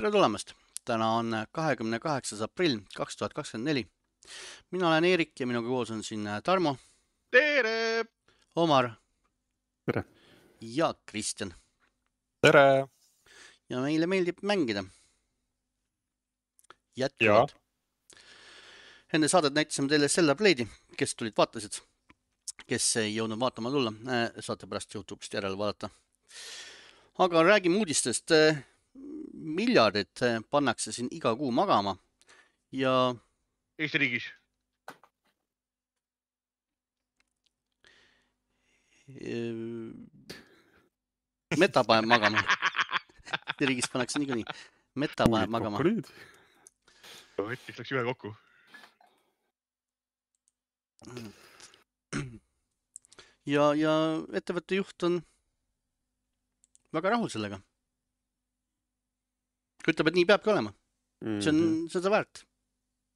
Tere tulemast! Täna on 28. aprill 2024. Mina olen Eerik ja minuga koos on siin Tarmo, Tere! Omar Tere! ja Kristjan. Tere! Ja meile meeldib mängida. Jätkuvalt. Enne saadet näitasime teile Stellar Blade'i, kes tulid vaatasid. Kes ei jõudnud vaatama tulla, saate pärast YouTube'ist järele vaadata. Aga räägime uudistest. Miljardid pannakse siin iga kuu magama ja Eesti riigis. Meta paneb magama. Eesti riigis pannakse niikuinii. Meta paneb magama. Võttis läks ühe kokku. Ja ettevõtte juht on väga rahul sellega. Ütleb, et nii peabki olema. See on seda väärt.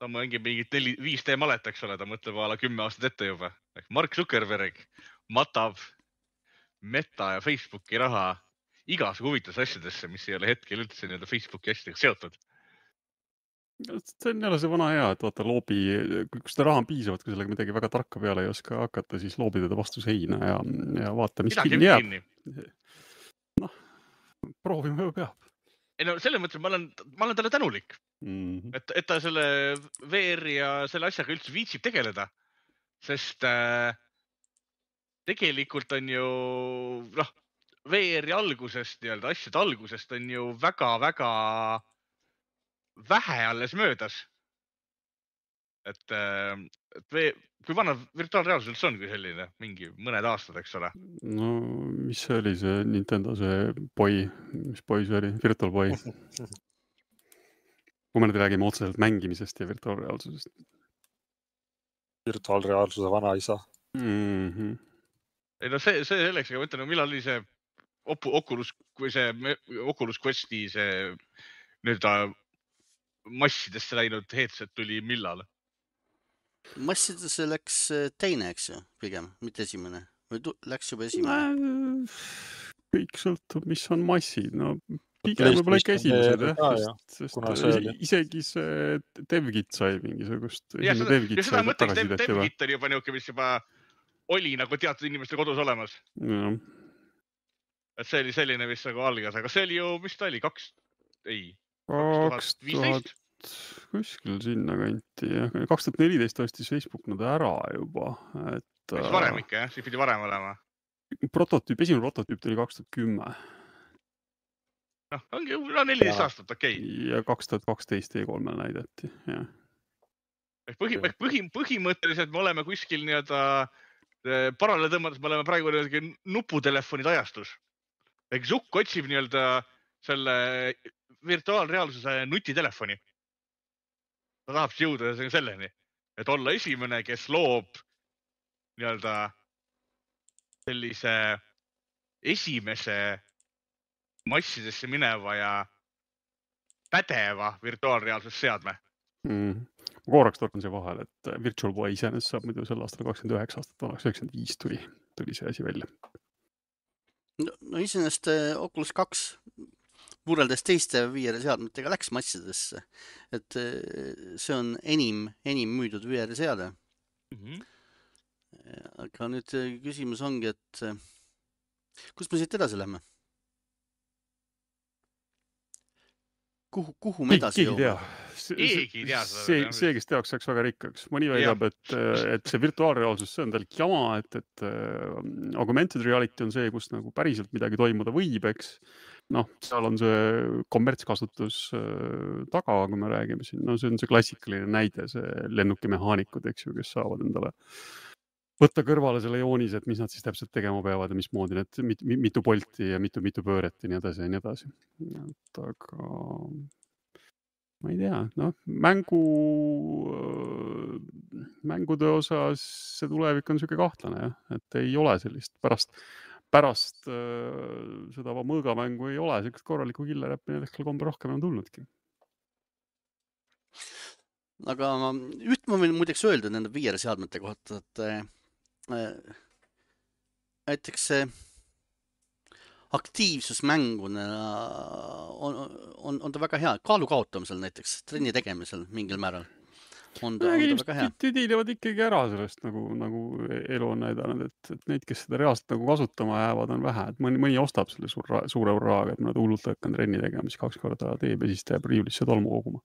Ta mängib mingit 5D malet, eks ole, ta mõtleb ala 10 aastat ette juba. Mark Zuckerberg matab Meta ja Facebooki raha igasugu huvitavas asjadesse, mis ei ole hetkel üldse nii-öelda Facebooki asjadega seotud. See on jälle see vana hea, et vaata loobi, kui seda raha on piisavalt, kui sellega midagi väga tarka peale ei oska hakata, siis loobi teda vastu seina ja vaata, mis kinni jääb. Noh, proovima ju peab. Ei no selles mõttes, ma olen talle tänulik, et ta selle VR ja selle asjaga üldse viitsib tegeleda, sest tegelikult on ju VR-i algusest, nii-öelda asjade algusest on ju väga-väga vähe alles möödas. Et kui vana virtuaalreaalsus üldse on kui selline, mingi mõned aastad, eks ole? No, mis see oli see Nintendo, see Boy, mis Boy see oli? Virtual Boy. Kui me nüüd räägime otseselt mängimisest ja virtuaalreaalsusest. Virtuaalreaalsuse vanaisa. Ei no see selleks, aga mõtlen, millal oli see Oculus Questi see nüüd massidesse läinud headset tuli millal? Massidesse läks teine, eks ju, pigem, mitte esimene. Või läks juba esimene? Kõik sõltub, mis on massid. No, pigem võib-olla ikka esimesed, sest isegi see DevKit sai mingisugust. Seda mõtleks, DevKit on juba niuke, mis juba oli nagu teatud inimeste kodus olemas. Et see oli selline, mis nagu algas, aga see oli ju, mis ta oli, 2015? Kuskil sinna kanti. 2014 ostis Facebook nad ära juba. Mis varem ikka, jah? Siis pidi varem olema. Esimene prototüüp tuli 2010. Ongi 14 aastat, okei. Ja 2012 E3-l näidati, jah. Põhimõtteliselt me oleme kuskil nii-öelda paralleele tõmmades, me oleme praegu nuputelefonide ajastus. Zuck otsib nii-öelda selle virtuaalreaalsuse nutitelefoni. Ta tahab jõuda selleni, et olla esimene, kes loob nii-öelda sellise esimese massidesse mineva ja pädeva virtuaalreaalsusseadme. Ma korraks torkan see vahel, et Virtual Boy iseenesest saab muidu sel aastal 29 aastat vanaks, 95 tuli see asi välja. No iseenesest Oculus 2 võrreldes teiste VR-seadmetega läks massidesse, et see on enim müüdud VR-seade. Aga nüüd küsimus ongi, et kus me siit edasi lähme? Kuhu me edasi jõuame? Keegi ei tea. See, kes teaks, saaks väga rikkaks. Mõni väidab, et see virtuaalreaalsus, see on tal jama, et augmented reality on see, kus nagu päriselt midagi toimuda võib, eks. Seal on see kommertskasutus taga, kui me räägime siin. See on see klassikaline näide, see lennukimehaanikud, eks ju, kes saavad endale võtta kõrvale selle joonise, et mis nad siis täpselt tegema peavad ja mismoodi need mitu polti ja mitu pööret ja nii edasi ja nii edasi. Aga ma ei tea, mängude osas see tulevik on selline kahtlane, et ei ole sellist pärast seda mõõgamängu ei ole, sellist korralikku killeräppi hetkel kombe rohkem on tulnudki. Aga üht ma võin muideks öelda nende VR-seadmete kohta, et näiteks aktiivsusmänguna on ta väga hea. Kaalu kaotamisel näiteks, trenni tegemisel mingil määral on ta väga hea. Tüdilevad ikkagi ära sellest, nagu elu on näidanud, et neid, kes seda reaalselt nagu kasutama jäävad, on vähe. Et mõni ostab selle suure urraaga, et nad hullult hakkan trenni tegema, siis 2 korda teeb ja siis teeb riiulisse tolmu koguma.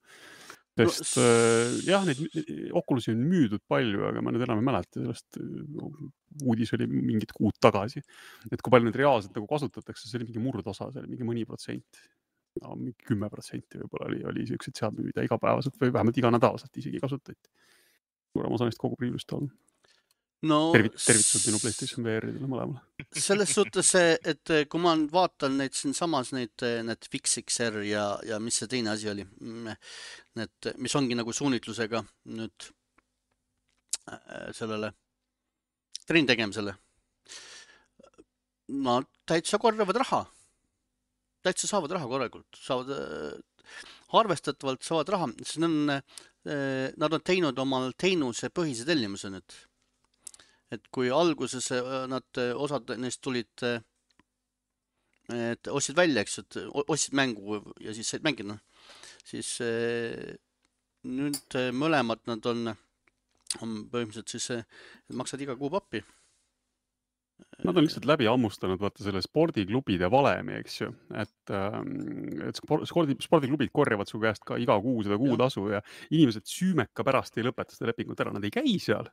Sest jah, neid Oculusi on müüdud palju, aga ma nüüd enam ei mäleta sellest. Uudis oli mingid kuud tagasi. Et kui palju neid reaalselt nagu kasutatakse, see oli mingi murdosa, see oli mingi mõni protsent. No, 10% võib-olla oli sellised seadmed, mida igapäevaselt või vähemalt iganädalaselt isegi kasutati. Suurem osa neist kogu riiulist on. No, tervitused minu PlayStation VR-idele mõlemale. Selles suhtes, et kui ma vaatan neid siin samas need FixXR ja mis see teine asi oli, mis ongi nagu suunitlusega nüüd sellele trenni tegemisele. No, täitsa korjavad raha. Täitsa saavad raha korralikult, arvestatavalt saavad raha, sest nad on teinud omal teenuse põhise tellimuse nüüd. Et kui alguses osad neist tulid, et ostsid välja, eks, et ostsid mängu ja siis said mängida, siis nüüd mõlemad nad on põhimõtteliselt siis, maksad iga kuu pappi. Nad on lihtsalt läbi ammustanud, vaata selle spordiklubide valemi, eks ju, et spordiklubid korjavad su käest ka iga kuu seda kuutasu ja inimesed süümeka pärast ei lõpeta seda lepingut ära, nad ei käi seal,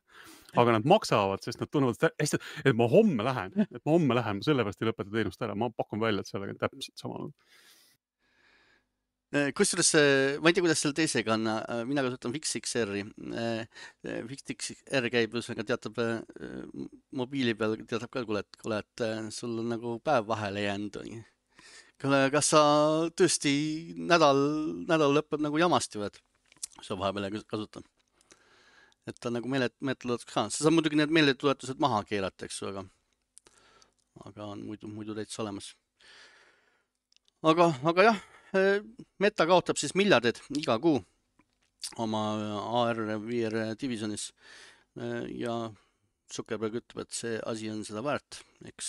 aga nad maksavad, sest nad tunnevad hästi, et ma homme lähen, ma sellepärast ei lõpeta teenust ära, ma pakun välja, et sellega on täpselt sama. Kusjuures, ma ei tea, kuidas selle teisega on, mina kasutan FixXR-i. FixXR käib, ühesõnaga teatab mobiili peal, teatab ka, kuule, et sul on nagu päev vahele jäänud. Kas sa tõesti nädal lõpeb nagu jamasti või, et sa vahepeal kasutan? Et ta nagu meeletoletuseks ka. Sa saad muidugi need meeletoletused maha keerata, eks, aga on muidu täitsa olemas. Aga jah, Meta kaotab siis miljardid iga kuu oma AR VR divisionis ja Zuckerberg ütleb, et see asi on seda väärt. Eks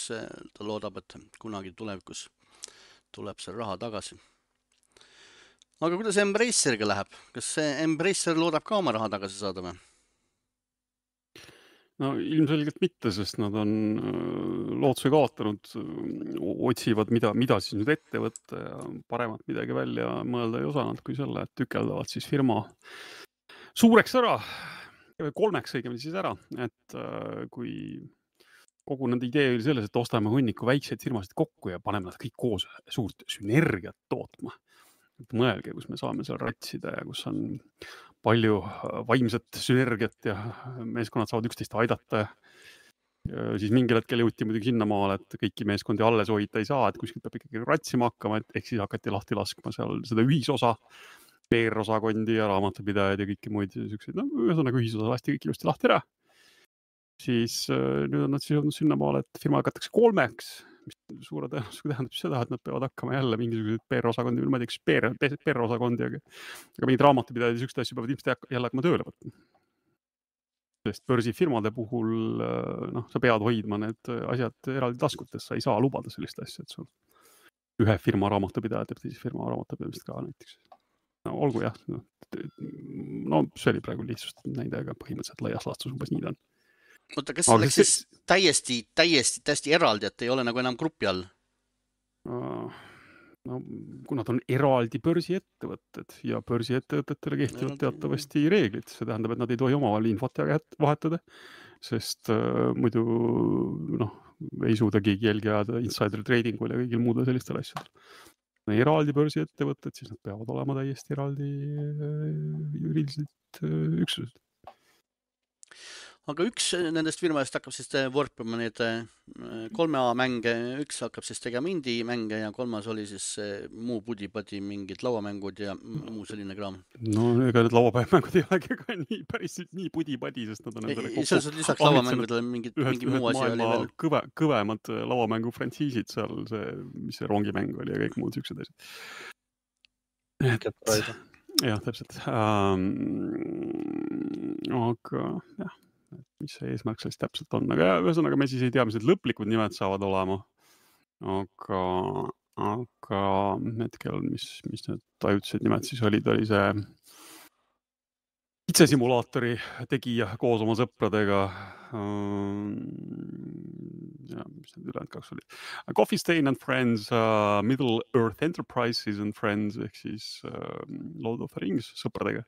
ta loodab, et kunagi tulevikus tuleb see raha tagasi. Aga kuidas Embraceriga läheb? Kas see Embracer loodab ka oma raha tagasi saada või? No ilmselgelt mitte, sest nad on lootuse kaotanud, otsivad, mida siis nüüd ette võtta ja paremat midagi välja mõelda ei osanud kui selle, et tükeldavad siis firma suureks ära, 3 õigemini siis ära, et kui kogu nende idee oli selles, et ostame hunniku väikseid firmasid kokku ja paneme nad kõik koos suurt sünergiat tootma. Mõelge, kus me saame seal ratsida ja kus on palju vaimset sünergiat ja meeskonnad saavad üksteist aidata. Ja siis mingil hetkel jõuti muidugi sinnamaale, et kõiki meeskondi alles hoida ei saa, et kuskilt peab ikkagi ratsima hakkama, et ehk siis hakati lahti laskma seal seda ühisosa, PR-osakondi ja raamatupidajaid ja kõiki muid selliseid, no ühesõnaga ühisosa lasti kõik ilusti lahti ära. Siis nüüd on nad siis jõudnud sinnamaale, et firma hakatakse 3, mis suure tõenäosusega tähendab seda, et nad peavad hakkama jälle mingisuguseid PR-osakondi, ma ei tea, PR-osakondi, aga mingid raamatupidajad ja sükste asju peavad ilmselt jälle hakkama tööle võtma. Sest börsifirmade puhul sa pead hoidma need asjad eraldi taskutes, sa ei saa lubada sellist asja, et sul ühe firma raamatupidajad teeb teise firma raamatupidamist ka näiteks. No, olgu jah, no see oli praegu lihtsust näide, aga põhimõtteliselt laias laastus umbes nii ta on. Oota, kas see oleks siis täiesti eraldi, et ei ole nagu enam grupi all? No, kuna ta on eraldi börsiettevõtted ja börsiettevõtetele kehtivad teatavasti reeglid, see tähendab, et nad ei tohi omavahel infot vahetada, sest muidu ei suuda keegi jälgi ajada insider tradingul ja kõigil muudel sellistel asjadel. Eraldi börsiettevõtted, siis nad peavad olema täiesti eraldi juriidiliselt üksused. Aga üks nendest firmadest hakkab siis vorpima need 3A mänge, üks hakkab siis tegema indie mänge ja 3. oli siis muu pudi-padi mingid lauamängud ja muu selline kraam. No ega need lauapäevamängud ei olegi ka päris nii pudi-padi, sest nad on endale kokku. Selles on lisaks lauamängudele mingi muu asi oli veel. Kõvemad lauamängu frantsiisid seal, mis see rongimäng oli ja kõik muud siuksed asjad. Jah, täpselt. Aga jah. Mis see eesmärk sellest täpselt on, aga ühesõnaga me siis ei tea, mis need lõplikud nimed saavad olema. aga hetkel, mis need ajutised nimed siis olid, oli see kitsesimulaatori tegija koos oma sõpradega. Ja, mis need ülejäänud kaks olid? Coffee Stain and Friends, Middle Earth Enterprises and Friends ehk siis Lord of the Rings sõpradega.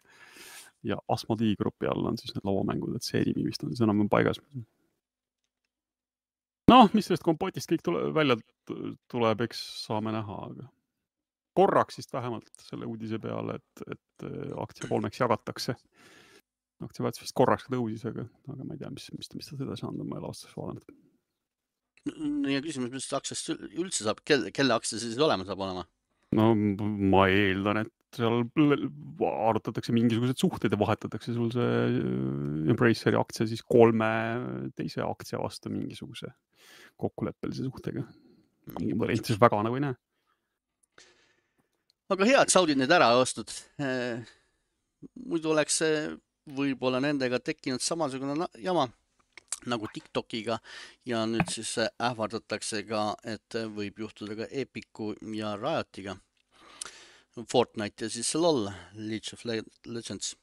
Ja Asmodee grupi all on siis need lauamängud, et see nimi vist on siis enam paigas. Noh, mis sellest kompotist kõik välja tuleb, eks saame näha, aga korraks siis vähemalt selle uudise peale, et aktsia 3 jagatakse. Aktsia väärtus vist korraks tõusis, aga ma ei tea, mis ta seda saanud, ma ei ole aastaks vaadanud. Ja küsimus, mis aktsiast üldse saab, kelle aktsia siis olema saab olema? No ma eeldan, et seal arutatakse mingisugused suhted ja vahetatakse sul see Embraceri aktsia siis 3 teise aktsia vastu mingisuguse kokkuleppelise suhtega. Ma rentises väga nagu ei näe. Aga hea, et Saudid need ära ostnud. Muidu oleks võib-olla nendega tekkinud samasugune jama nagu TikTokiga ja nüüd siis ähvardatakse ka, et võib juhtuda ka Epicu ja Riotiga. Fortnite ja siis LOL, League of Legends.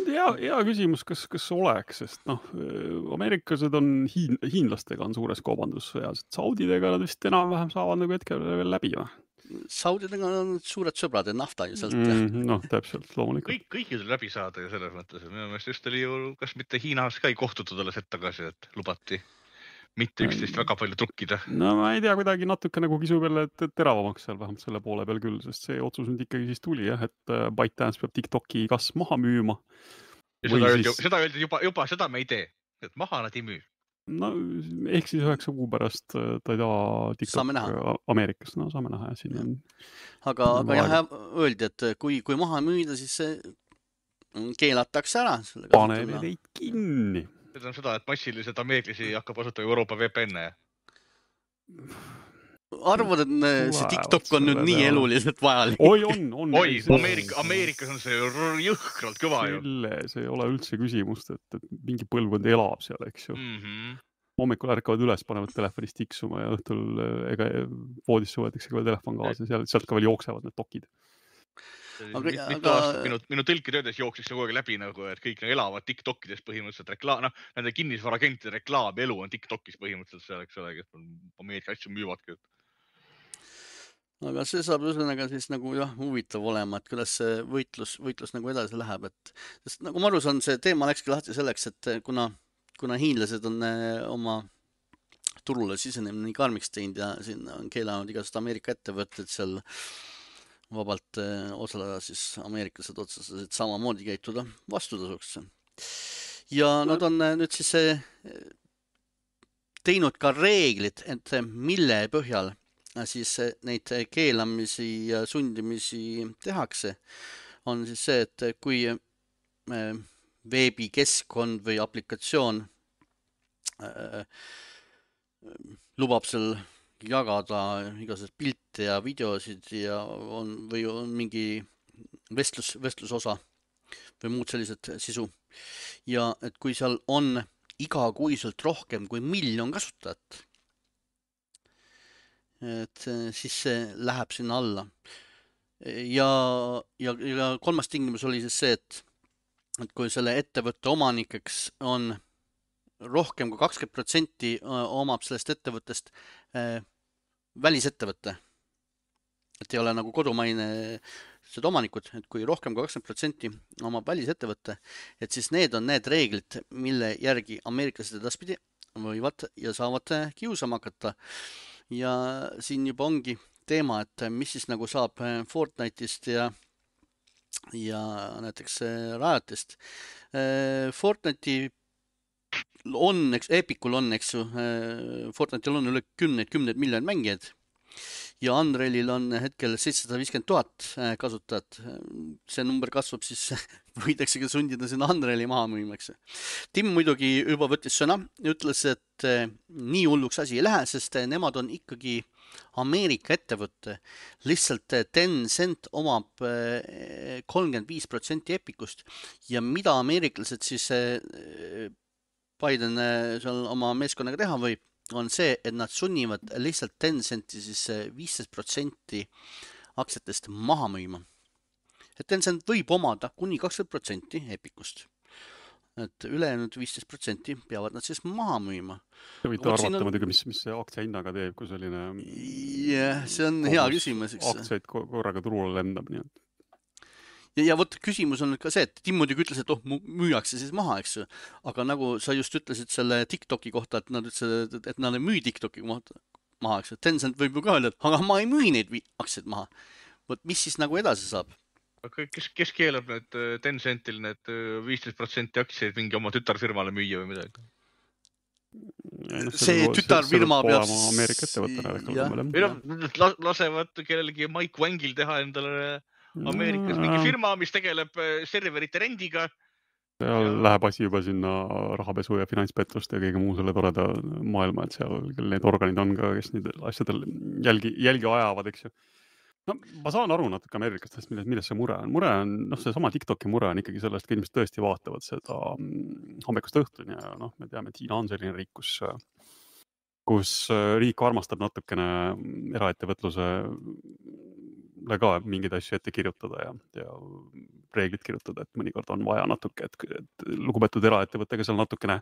Hea küsimus, kas oleks, sest ameeriklased on hiinlastega on suures kaubandussõjas, et Saudidega nad vist enam-vähem saavad nagu hetkel veel läbi. Saudidega on suured sõbrad ja nafta ju sealt. Täpselt, loomulikult. Kõikidel läbi saada ja selles mõttes. Minu meelest just oli ju, kas mitte Hiinas ka ei kohtutud alles hetk tagasi, et lubati mitte üksteist väga palju trukkida. No ma ei tea, kuidagi natuke nagu kisub jälle teravamaks seal vähemalt selle poole peal küll, sest see otsus nüüd ikkagi siis tuli, et ByteDance peab TikToki kas maha müüma. Ja seda öeldi juba seda me ei tee, et maha nad ei müü. No ehk siis 9 kuu pärast ta ei taha TikTok Ameerikas, no saame näha ja siin on. Aga jah, öeldi, et kui maha müüda, siis see keelatakse ära. Paneme neid kinni. See on seda, et massiliselt ameeriklasi hakkab asutama Euroopa VPN-e. Arvad, et see TikTok on nüüd nii eluliselt vajalik? Oi, on. Oi, Ameerikas on see jõhkralt kõva ju. See ei ole üldse küsimust, et mingi põlvkond elab seal, eks ju. Hommikul ärkavad üles, panevad telefonist tiksuma ja õhtul voodisse võetakse ka veel telefon kaasa ja sealt ka veel jooksevad need dokid. Mitu aastat minu tõlkitöödes jooksis kogu aeg läbi, et kõik elavad TikTokides põhimõtteliselt reklaam, nende kinnisvaragentide reklaam elu on TikTokis põhimõtteliselt seal, eks ole, kes Ameerika asju müüvadki. Aga see saab üslenega siis nagu huvitav olema, et kuidas see võitlus nagu edasi läheb, sest nagu ma aru saan, see teema läkski lahti selleks, et kuna hiinlased on oma turule sisenemine nii karmiks teinud ja siin on keelanud igasugused Ameerika ettevõtted seal vabalt osaleda, siis ameeriklased otsustasid samamoodi käituda vastutasuks. Ja nad on nüüd siis teinud ka reeglid, et mille põhjal siis neid keelamisi ja sundimisi tehakse, on siis see, et kui veebikeskkond või aplikatsioon lubab seal jagada igasugused pilte ja videosid ja on mingi vestlusosa või muud sellised sisu. Ja et kui seal on igakuiselt rohkem kui 1 miljon kasutajat, et siis see läheb sinna alla. Ja kolmas tingimus oli siis see, et kui selle ettevõtte omanikeks on rohkem kui 20% omab sellest ettevõttest välisettevõtte. Et ei ole nagu kodumaine seda omanikud, et kui rohkem kui 20% omab välisettevõtte, et siis need on need reeglid, mille järgi ameeriklased edaspidi võivad ja saavad kiusama hakata. Ja siin juba ongi teema, et mis siis nagu saab Fortnite'ist ja näiteks Riotist. Fortnite'i on, Epicul on, eks ju, Fortnite'il on üle 10 miljonit mängijad ja Unrealil on hetkel 750 000 kasutajat. See number kasvab, siis võidakse ka sundida sinna Unreali maha müümaks. Tim muidugi juba võttis sõna, ütles, et nii hulluks asi ei lähe, sest nemad on ikkagi Ameerika ettevõtte. Lihtsalt Tencent omab 35% Epicust ja mida ameeriklased siis Biden seal oma meeskonnaga teha võib, on see, et nad sunnivad lihtsalt Tencenti siis 15% aktsiatest maha müüma. Et Tencent võib omada kuni 20% Epicust. Et ülejäänud 15% peavad nad siis maha müüma. Te võite arvata muidugi, mis see aktsia hinnaga teeb, kui selline... Jah, see on hea küsimus. Aktsiaid korraga turule lendab, nii et... Ja vot küsimus on ka see, et Tim muidugi ütles, et müüakse siis maha, eks. Aga nagu sa just ütlesid selle TikToki kohta, et nad ütlesid, et nad ei müü TikToki maha, eks. Tencent võib ju ka öelda, et aga ma ei müü neid aktsiaid maha. Vot mis siis nagu edasi saab? Kes keelab need Tencentil need 15% aktsiaid mingi oma tütarfirmale müüa või midagi? See tütarfirma peab... Ameerika ettevõttena. Lasevad kellelegi Mike Wangil teha endale Ameerikas mingi firma, mis tegeleb serverite rendiga. Seal läheb asi juba sinna rahapesu ja finantspettuste ja kõige muu selle toreda maailma, et seal need organid on ka, kes neid asjadel jälgi ajavad, eks ju. No, ma saan aru natuke Ameerikast, milles see mure on. Mure on, see sama TikToki mure on ikkagi sellest, et inimesed tõesti vaatavad seda hommikust õhtuni ja me teame, et Hiina on selline riik, kus riik armastab natukene eraettevõtluse ka mingeid asju ette kirjutada ja reeglid kirjutada, et mõnikord on vaja natuke, et lugupeetud eraettevõttega seal natukene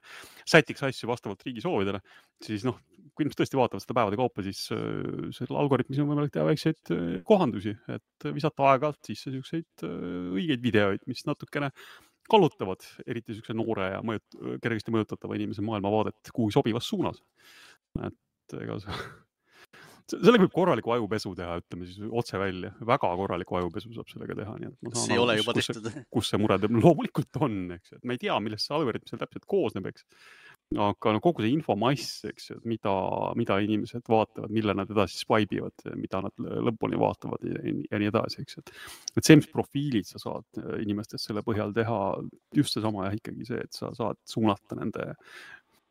sätiks asju vastavalt riigi soovidele, siis kui inimesed tõesti vaatavad seda päevade kaupa, siis selle algoritmis on võimalik teha väikseid kohandusi, et visata aeg-alt sisse selliseid õigeid videoid, mis natukene kallutavad eriti selline noore ja kergesti mõjutatava inimese maailmavaadet kuhu sobivas suunas. Et ega sellega võib korraliku ajupesu teha, ütleme siis otse välja. Väga korraliku ajupesu saab sellega teha. Nii et see ei ole juba tehtud. Kus see mure loomulikult on, eks. Et me ei tea, millest see algoritm seal täpselt koosneb, eks. Aga kogu see infomass, eks, mida inimesed vaatavad, mille nad edasi swipe'ivad, mida nad lõpuni vaatavad ja nii edasi, eks. Et see, mis profiilid sa saad inimestest selle põhjal teha, just seesama ja ikkagi see, et sa saad suunata nende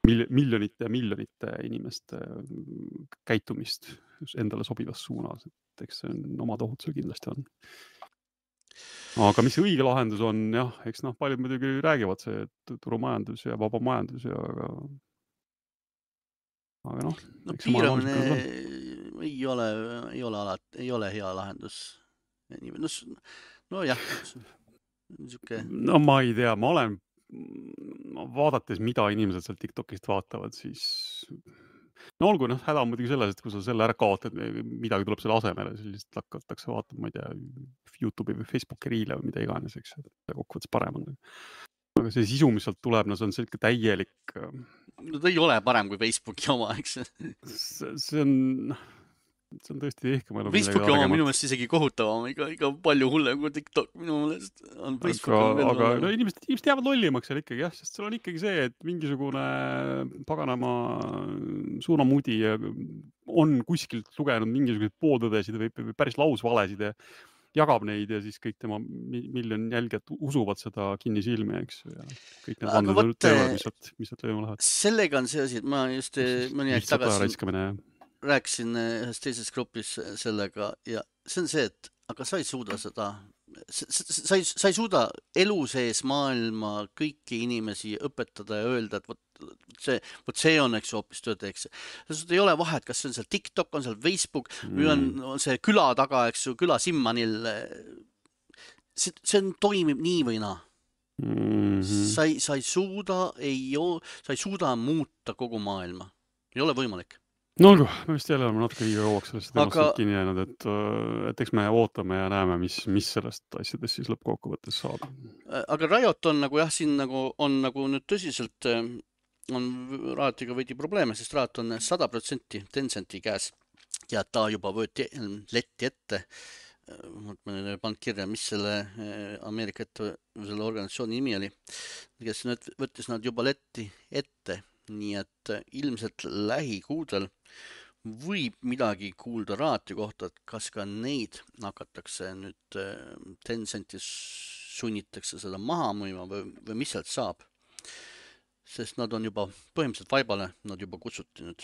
miljonite inimeste käitumist endale sobivas suunas, et eks see on oma tohutusel kindlasti on. Aga mis see õige lahendus on, jah, eks paljud muidugi räägivad see turumajandus ja vaba majandus ja aga piiramine ei ole hea lahendus. Jah, niisugune... ma ei tea, ma olen vaadates, mida inimesed seal TikTokist vaatavad, siis olgu, häda on muidugi selles, et kui sa selle ära kaotad, midagi tuleb selle asemele, siis lihtsalt hakatakse vaatama, ma ei tea, YouTube'i või Facebooki riile või mida iganes, eks, et kokkuvõttes parem on. Aga see sisu, mis sealt tuleb, see on selline täielik... ta ei ole parem kui Facebooki oma, eks? See on tõesti ehk. Facebooki oma minu meelest isegi kohutavam, ikka palju hullem kui TikTok minu meelest on Facebook. Aga inimesed jäävad lollimaks seal ikkagi, jah, sest seal on ikkagi see, et mingisugune paganama suunamudi on kuskilt lugenud mingisuguseid pooltõdesid või päris lausvalesid ja jagab neid ja siis kõik tema miljon jälgijat usuvad seda kinni silmi, eks. Ja kõik need vanded teevad, mis sealt lööma lähevad. Sellega on see asi, et ma just mõni aeg tagasi rääkisin ühes teises grupis sellega ja see on see, et aga sa ei suuda seda, sa ei suuda elu sees maailma kõiki inimesi õpetada ja öelda, et see on, eks, hoopis tööd, eks. Ei ole vahet, kas see on seal TikTok, on seal Facebook või on see küla taga, eks ju, küla Simmanil. See toimib nii või naa. Sa ei suuda muuta kogu maailma. Ei ole võimalik. No olgu, me vist jälle oleme natuke liiga kauaks sellest temast kinni jäänud, et eks me ootame ja näeme, mis sellest asjadest siis lõppkokkuvõttes saab. Aga Riot on nagu jah, siin nagu on nagu nüüd tõsiselt on Riotiga veidi probleeme, sest Riot on 100% Tencenti käes ja ta juba võeti letti ette. Ma ei pannud kirja, mis selle Ameerika selle organisatsiooni nimi oli, kes võttis nad juba letti ette. Nii et ilmselt lähikuudel võib midagi kuulda Rioti kohta, et kas ka neid hakatakse nüüd Tencentis sunnitakse seda maha müüma või mis sealt saab. Sest nad on juba põhimõtteliselt vaibale, nad juba kutsuti nüüd.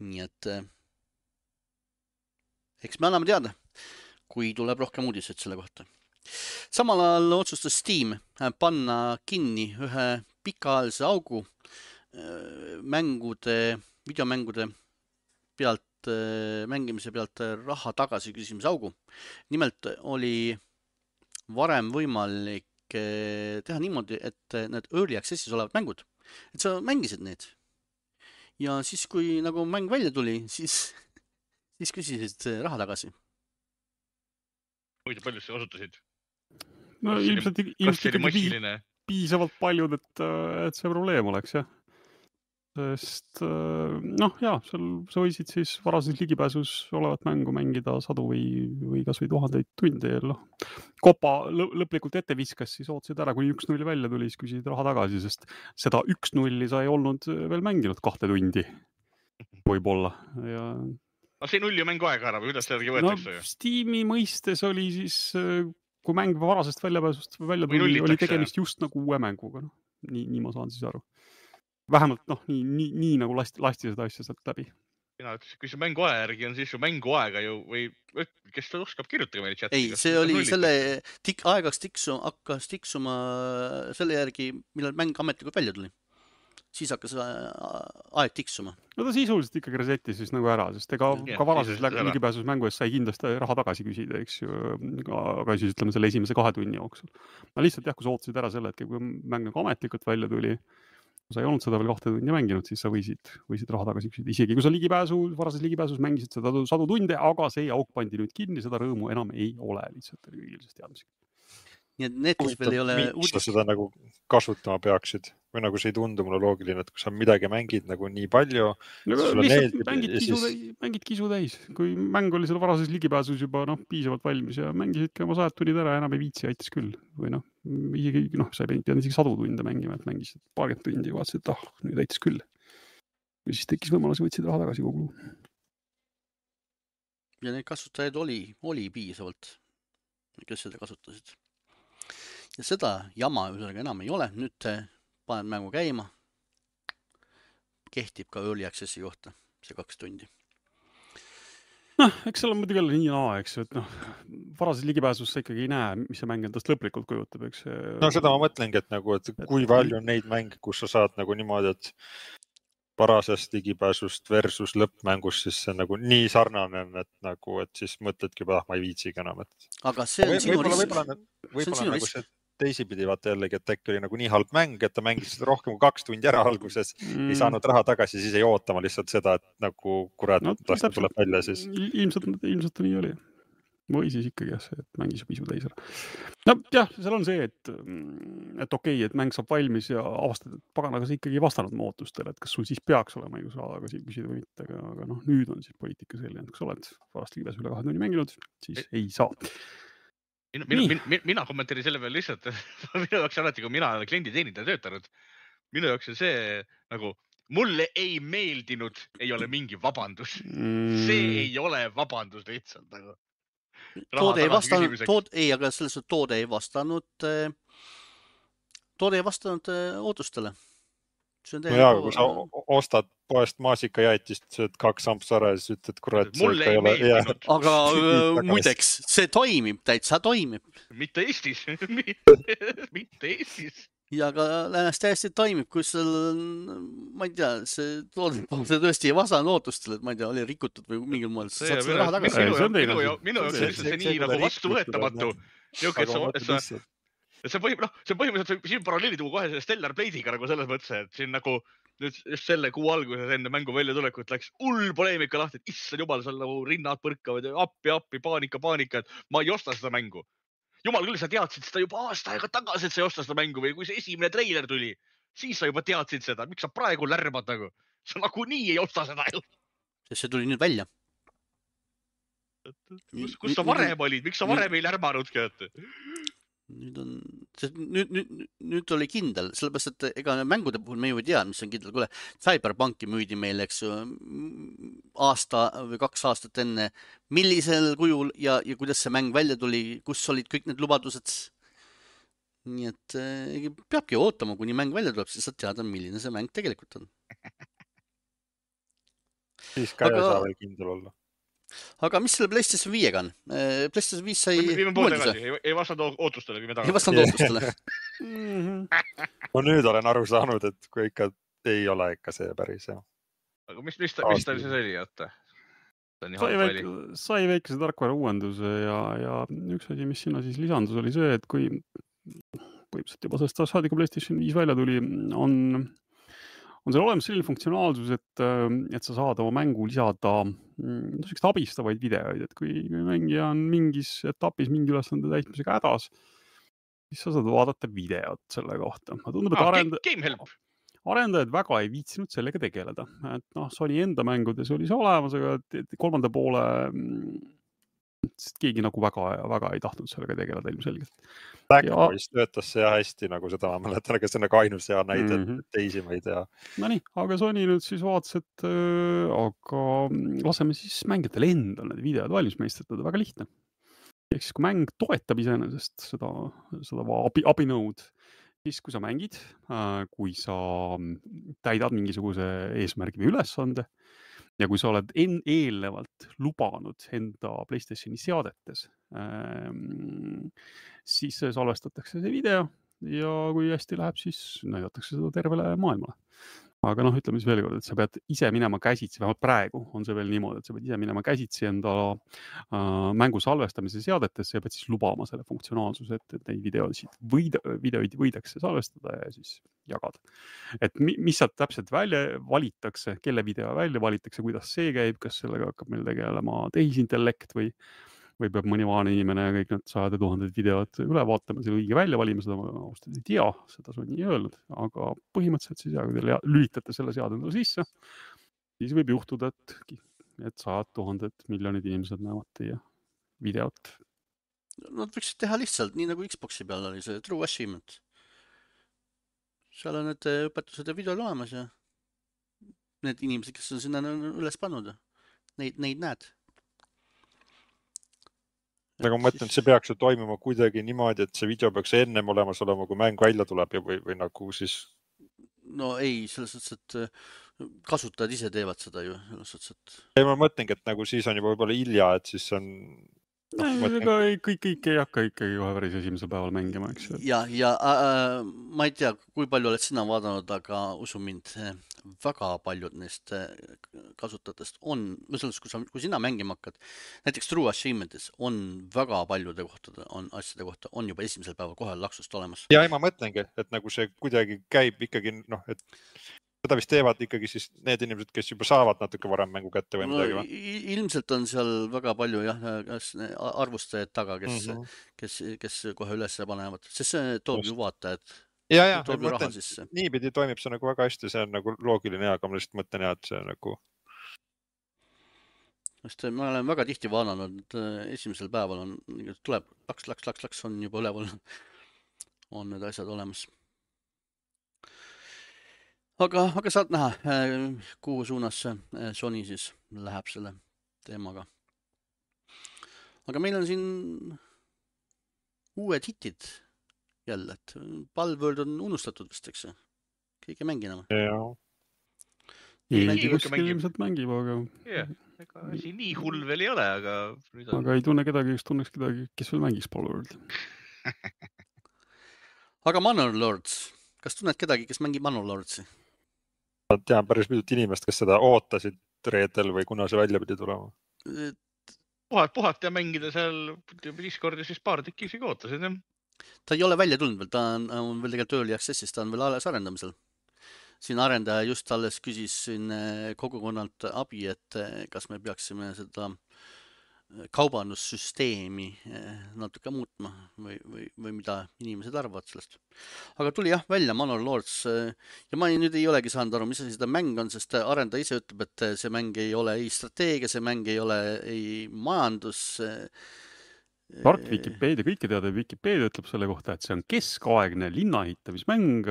Nii et eks me anname teada, kui tuleb rohkem uudiseid selle kohta. Samal ajal otsustas Steam panna kinni ühe pikaajalise augu mängude videomängude pealt, mängimise pealt raha tagasi küsimise augu. Nimelt oli varem võimalik teha niimoodi, et need early access'is olevad mängud, et sa mängisid need. Ja siis, kui nagu mäng välja tuli, siis küsisid raha tagasi. Muidu palju sa osutasid? No ilmselt ikkagi piisavalt paljud, et see probleem oleks, jah. Sest sa võisid siis varases ligipääsus olevat mängu mängida sadu või kas või 1000 tundi. Kopa lõplikult ette viskas, siis ootasid ära, kuni 1-0 välja tuli, siis küsisid raha tagasi, sest seda 1-0 sa ei olnud veel mänginud 2 tundi. Võib-olla. Ja... No see 0 mängu aega ära, või kuidas see võetakse? Steam'i mõistes oli siis, kui mäng varasest väljapääsust välja tuli, oli tegemist just nagu uue mänguga. Nii ma saan siis aru. Vähemalt nii nagu lasti seda asja sealt läbi. Mina ütlesin, kui see mänguaja järgi on, siis su mänguaega ju või kes ta oskab kirjutada meile chati? Ei, see oli selle aegaks hakkas tiksuma selle järgi, millal mäng ametlikult välja tuli. Siis hakkas aeg tiksuma. No ta sisuliselt ikkagi resetti siis nagu ära, sest ka varases ligipääsus mängu eest sai kindlasti raha tagasi küsida, eks ju, aga siis ütleme selle esimese 2 tunni jooksul. Ma lihtsalt kui sa ootasid ära selle hetke, kui mäng nagu ametlikult välja tuli, kui sa ei olnud seda veel 2 tundi mänginud, siis sa võisid raha tagasi küsida. Isegi kui sa varases ligipääsus mängisid seda 100 tunde, aga see auk pandi nüüd kinni, seda rõõmu enam ei ole lihtsalt kõigilsest teadmisega. Nii et need, kes veel ei ole uudist. Sa seda nagu kasutama peaksid? Või nagu see ei tundu mulle loogiline, et kui sa midagi mängid nagu nii palju... Mängid kisu täis. Kui mäng oli selle varases ligipääsus juba piisavalt valmis ja mängisid ka oma 100 tunnid ära, enam ei viitsi, aitas küll. Või isegi, sa ei pidanud isegi 100 tunde mängima, et mängisid paarkümmend tundi ja vaatasid, et nüüd aitas küll. Ja siis tekkis võimalus, võtsid raha tagasi kogu. Ja need kasutajaid oli piisavalt, kes seda kasutasid. Ja seda jama ühesõnaga enam ei ole. Nüüd paned mängu käima. Kehtib ka early access'i kohta see 2 tundi. Eks seal on muidugi jälle nii eks ju, et varases ligipääsus sa ikkagi ei näe, mis see mäng endast lõplikult kujutab, eks. No seda ma mõtlengi, et kui palju on neid mänge, kus sa saad nagu niimoodi, et varasest ligipääsust versus lõppmängust, siis see nagu nii sarnane, et siis mõtledki, ma ei viitsigi enam. Aga see on sinu risk. Võib-olla nagu see teisipidi vaata jällegi, et äkki oli nagu nii halb mäng, et ta mängis seda rohkem kui 2 tundi ära alguses, ei saanud raha tagasi, siis ei ootama lihtsalt seda, et nagu kurat, ta tuleb välja siis. Ilmselt nii oli. Või siis ikkagi et mängis piisu täis ära. No jah, seal on see, et okei, et mäng saab valmis ja avastad, et paganaga sa ikkagi ei vastanud mu ootustele, et kas sul siis peaks olema õigus raha tagasi küsida või mitte, aga nüüd on siis poliitika selline, et kui sa oled varast ligipääs üle 2 tundi mänginud, siis ei saa. Mina kommenteerin selle peale lihtsalt, minu jaoks alati, kui mina olen klienditeenindaja töötanud, minu jaoks on see nagu, mulle ei meeldinud, ei ole mingi vabandus. See ei ole vabandus lihtsalt nagu. Toode ei vastanud ootustele. Kui sa ostad poest maasikajäätist, sööd 2 ampsara ja siis ütled, kurat, mulle ei meeldinud. Aga muideks, see täitsa toimib. Mitte Eestis. Mitte Eestis. Ja ka läänes täiesti toimib, kui seal, ma ei tea, see tõesti ei vastanud ootustele, et ma ei tea, oli rikutud või mingil moel. Minu jaoks see nii nagu vastuvõetamatu. See põhimõtteliselt siin paralleeli tuua kohe selle Stellar Blade'iga nagu selles mõttes, et siin nagu just selle kuu alguses enne mängu väljatulekut läks poleemika lahti, et issand jumal, seal nagu rinnad põrkavad ja appi, paanika, et ma ei osta seda mängu. Jumal küll, sa teadsid seda juba aasta aega tagasi, et sa ei osta seda mängu või kui see esimene treiler tuli, siis sa juba teadsid seda. Miks sa praegu lärmad nagu? Sa nagu nii ei osta seda ju. See tuli nüüd välja. Kus sa varem olid? Miks sa varem ei lärmanudki? Nüüd oli kindel, sellepärast, et ega mängude puhul me ju ei tea, mis on kindel. Kuule, Cyberpunki müüdi meile, eks ju, aasta või 2 aastat enne, millisel kujul ja kuidas see mäng välja tuli, kus olid kõik need lubadused. Nii et peabki ootama, kuni mäng välja tuleb, siis saad teada, milline see mäng tegelikult on. Siis ka ei saa veel kindel olla. Aga mis selle PlayStation 5-ga on? PlayStation 5 sai uuenduse. Ei vastanud ootustele. Ei vastanud ootustele. Ma nüüd olen aru saanud, et kui ikka ei ole ikka see päris. aga mis ta siis oli, oota? Sai väikese tarkvara uuenduse ja üks asi, mis sinna siis lisandus, oli see, et kui põhimõtteliselt juba sellest saadik, kui PlayStation 5 välja tuli, on seal olemas selline funktsionaalsus, et sa saad oma mängu lisada sellised abistavaid videoid, et kui mängija on mingis etapis mingi ülesande täitmisega hädas, siis sa saad vaadata videot selle kohta. Tundub, et arendajad väga ei viitsinud sellega tegeleda. Et Sony enda mängudes oli see olemas, aga kolmanda poole keegi nagu väga ei tahtnud sellega tegeleda ilmselgelt. Backboys töötas see hästi, nagu seda ma mäletan, aga see on nagu ainus hea näide, teisi ma ei tea. No nii, aga Sony nüüd siis vaatas, et aga laseme siis mängijatele endal need videod valmis meistritada, väga lihtne. Ehk siis, kui mäng toetab iseenesest seda abinõud, siis kui sa mängid, kui sa täidad mingisuguse eesmärgi või ülesande ja kui sa oled eelnevalt lubanud enda PlayStationi seadetes, siis salvestatakse see video ja kui hästi läheb, siis näidatakse seda tervele maailmale. Aga ütleme siis veel kord, et sa pead ise minema käsitsi, vähemalt praegu on see veel niimoodi, et sa pead ise minema käsitsi enda mängu salvestamise seadetesse ja pead siis lubama selle funktsionaalsuse, et neid videoid võidakse salvestada ja siis jagada. Et mis sealt täpselt välja valitakse, kelle video välja valitakse, kuidas see käib, kas sellega hakkab meil tegelema tehisintellekt või peab mõni vaane inimene kõik need 100 000 videod üle vaatama, selle õige välja valima, seda ma ausalt ei tea, seda Sony ei öelnud, aga põhimõtteliselt siis kui te lülitate selle seadendale sisse, siis võib juhtuda, et 100 000 miljonid inimesed näevad teie videot. Nad võiksid teha lihtsalt, nii nagu Xboxi peal oli see True Achievement. Seal on need õpetused ja videod olemas ja need inimesed, kes on sinna üles pannud, neid näed. Aga ma mõtlen, et see peaks ju toimuma kuidagi niimoodi, et see video peaks ennem olemas olema, kui mäng välja tuleb või nagu siis... No ei, selles suhtes, et kasutajad ise teevad seda ju. Ei, ma mõtlengi, et nagu siis on juba võib-olla hilja, et siis on... Kõik ei hakka ikkagi kohe päris esimesel päeval mängima, eks ju. Ja ma ei tea, kui palju oled sina vaadanud, aga usu mind, väga paljud neist kasutajatest on, kui sina mängima hakkad, näiteks True Achievementis on väga paljude asjade kohta on juba esimesel päeval kohe laksust olemas. Ja ma mõtlengi, et nagu see kuidagi käib ikkagi, et seda vist teevad ikkagi siis need inimesed, kes juba saavad natuke varem mängu kätte või midagi või? Ilmselt on seal väga palju arvustajaid taga, kes kohe üles panevad, sest see toob ju vaatajad. Ja, niipidi toimib see nagu väga hästi, see on nagu loogiline, aga ma lihtsalt mõtlen, et see on nagu... Ma olen väga tihti vaadanud, et esimesel päeval tuleb laks, on juba üleval, on need asjad olemas. Aga saad näha, kuhu suunas Sony siis läheb selle teemaga. Aga meil on siin uued hitid jälle, et Palworld on unustatud vist, eks? Keegi ei mängi enam. Kuskil ilmselt mängib, aga... Ega siin nii hull veel ei ole, aga... Aga ei tunne kedagi, kes veel mängiks Palworld. Aga Manor Lords. Kas tunned kedagi, kes mängib Manor Lordsi? Ma tean päris mitut inimest, kes seda ootasid reedel või kuna see välja pidi tulema. Puhata ja mängida seal Discordis siis paar tükki isegi ootasid, jah? Ta ei ole välja tulnud veel, ta on veel tegelikult early access'is, ta on veel alles arendamisel. Siin arendaja just alles küsis siin kogukonnalt abi, et kas me peaksime seda kaubandussüsteemi natuke muutma või mida inimesed arvavad sellest. Aga tuli jah välja Manor Lords ja ma nüüd ei olegi saanud aru, mis seda mäng on, sest arendaja ise ütleb, et see mäng ei ole ei strateegia, see mäng ei ole ei majandus. Tark Wikipedia, kõike teada, Wikipedia ütleb selle kohta, et see on keskaegne linnaehitamismäng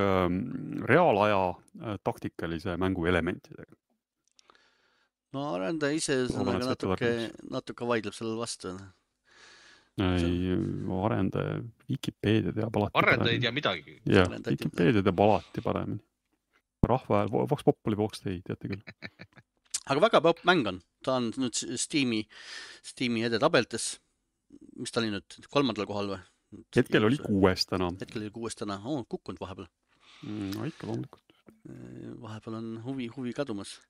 reaalaja taktikalise mängu elementidega. No arendaja ise natuke vaidleb sellele vastu. Ei, arendaja Wikipedia teab alati arendaja ei tea midagi. Jah, Wikipedia teab alati paremini. Rahva ajal, Vox Populi, Vox Dei, teate küll. Aga väga popp mäng on. Ta on nüüd Steam'i edetabeltes. Mis ta oli nüüd? 3. kohal või? Hetkel oli 6 täna. Kukkunud vahepeal. No ikka loomulikult. vahepeal on huvi kadumas.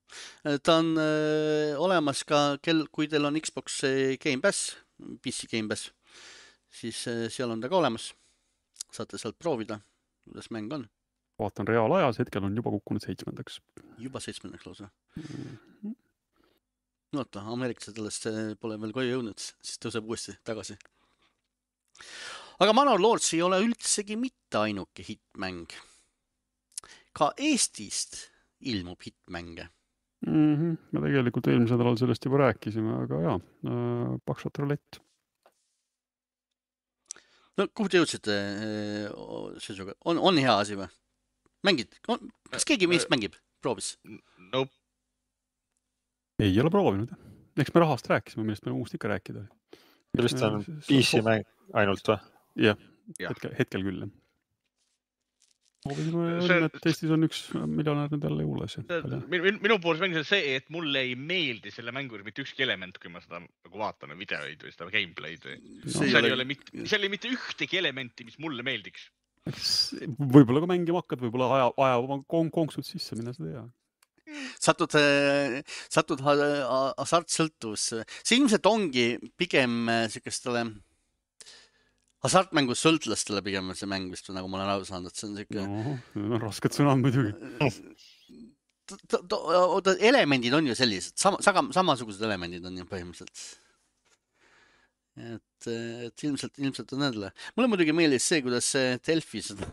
Ta on olemas ka, kui teil on Xbox Game Pass, PC Game Pass, siis seal on ta ka olemas. Saate sealt proovida, kuidas mäng on. Vaatan reaalajas, hetkel on juba kukkunud 7. Juba 7. lausa. Oota, ameeriklased sellest pole veel koju jõudnud, siis tõuseb uuesti tagasi. Aga Manor Lords ei ole üldsegi mitte ainuke hitmäng. Ka Eestist ilmub hitmänge. Me tegelikult eelmisel nädalal sellest juba rääkisime, aga jaa, Pakshot Roulette. No kuhu te jõudsite seisuga? On hea asi või? Mängid? Kas keegi meist mängib? Proovis? Nope. Ei ole proovinud. Eks me rahast rääkisime, millest me muust ikka rääkida. Millest on PC mäng ainult või? Jah, hetkel küll. Et Eestis on 1 miljonär nüüd jälle juules. Minu poolest mängis see, et mulle ei meeldi selle mängus mitte ükski element, kui ma seda nagu vaatan videoid või seda gameplay'd. Seal ei ole mitte ühtegi elementi, mis mulle meeldiks. Võib-olla kui mängima hakkad, võib-olla aja oma konksud sisse, minna seda hea. Satud hasartsõltuvusse. See ilmselt ongi pigem sellisele hasartmängus sõltlastele pigem see mäng vist, nagu ma olen aru saanud, et see on selline... No, rasked sõnad muidugi. Elemendid on ju sellised, samasugused elemendid on ju põhimõtteliselt. Et ilmselt on nendele. Mulle muidugi meeldis see, kuidas Delfi seda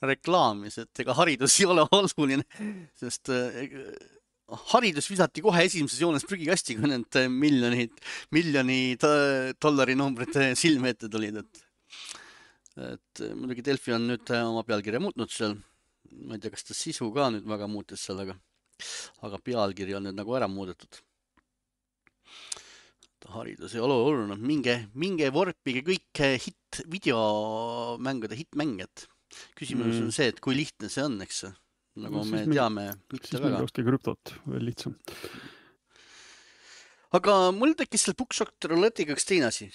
reklaamis, et ega haridus ei ole oluline, sest haridus visati kohe esimeses joones prügikasti, kui need miljoni dollari numbrid silme ette tulid. Et muidugi Delfi on nüüd oma pealkirja muutnud seal. Ma ei tea, kas ta sisu ka nüüd väga muutis seal, aga pealkiri on nüüd nagu ära muudetud. Haridus ei ole oluline. Minge vorpige kõik videomängude hitmänged. Küsimus on see, et kui lihtne see on, eks see? Nagu me teame, mitte väga. Siis meil krüptot veel lihtsam. Aga mul tekkis selle Pakshot Roulette'iga üks teine asi.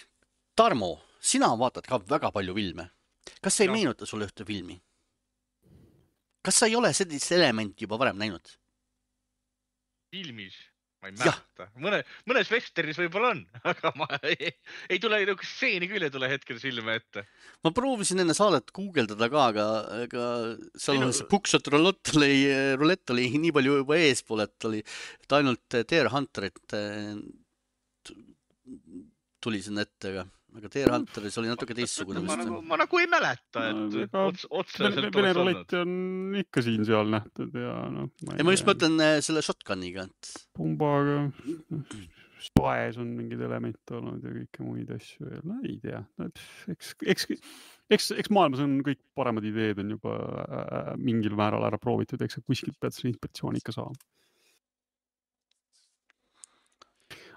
Tarmo, sina vaatad ka väga palju filme. Kas see ei meenuta sulle ühte filmi? Kas sa ei ole sellist elementi juba varem näinud? Filmis? Ma ei mäleta. Mõnes westernis võib-olla on, aga ma ei tule stseeni küll ei tule hetkel silme ette. Ma proovisin enne saadet guugeldada ka, aga seal on see Pakshot Roulette oli nii palju juba eespool, et ainult Deer Hunterit tuli sinna ette, aga Deer Hunteris oli natuke teistsugune. Ma nagu ei mäleta, et otseselt Vene Roulette on ikka siin-seal nähtud ja ma just mõtlen selle shotguniga. Pumbaga, spaes on mingid elemente olnud ja kõike muid asju. Ei tea. Eks maailmas on kõik paremad ideed on juba mingil määral ära proovitud, eks kuskilt pead selle inspiratsiooni ikka saama.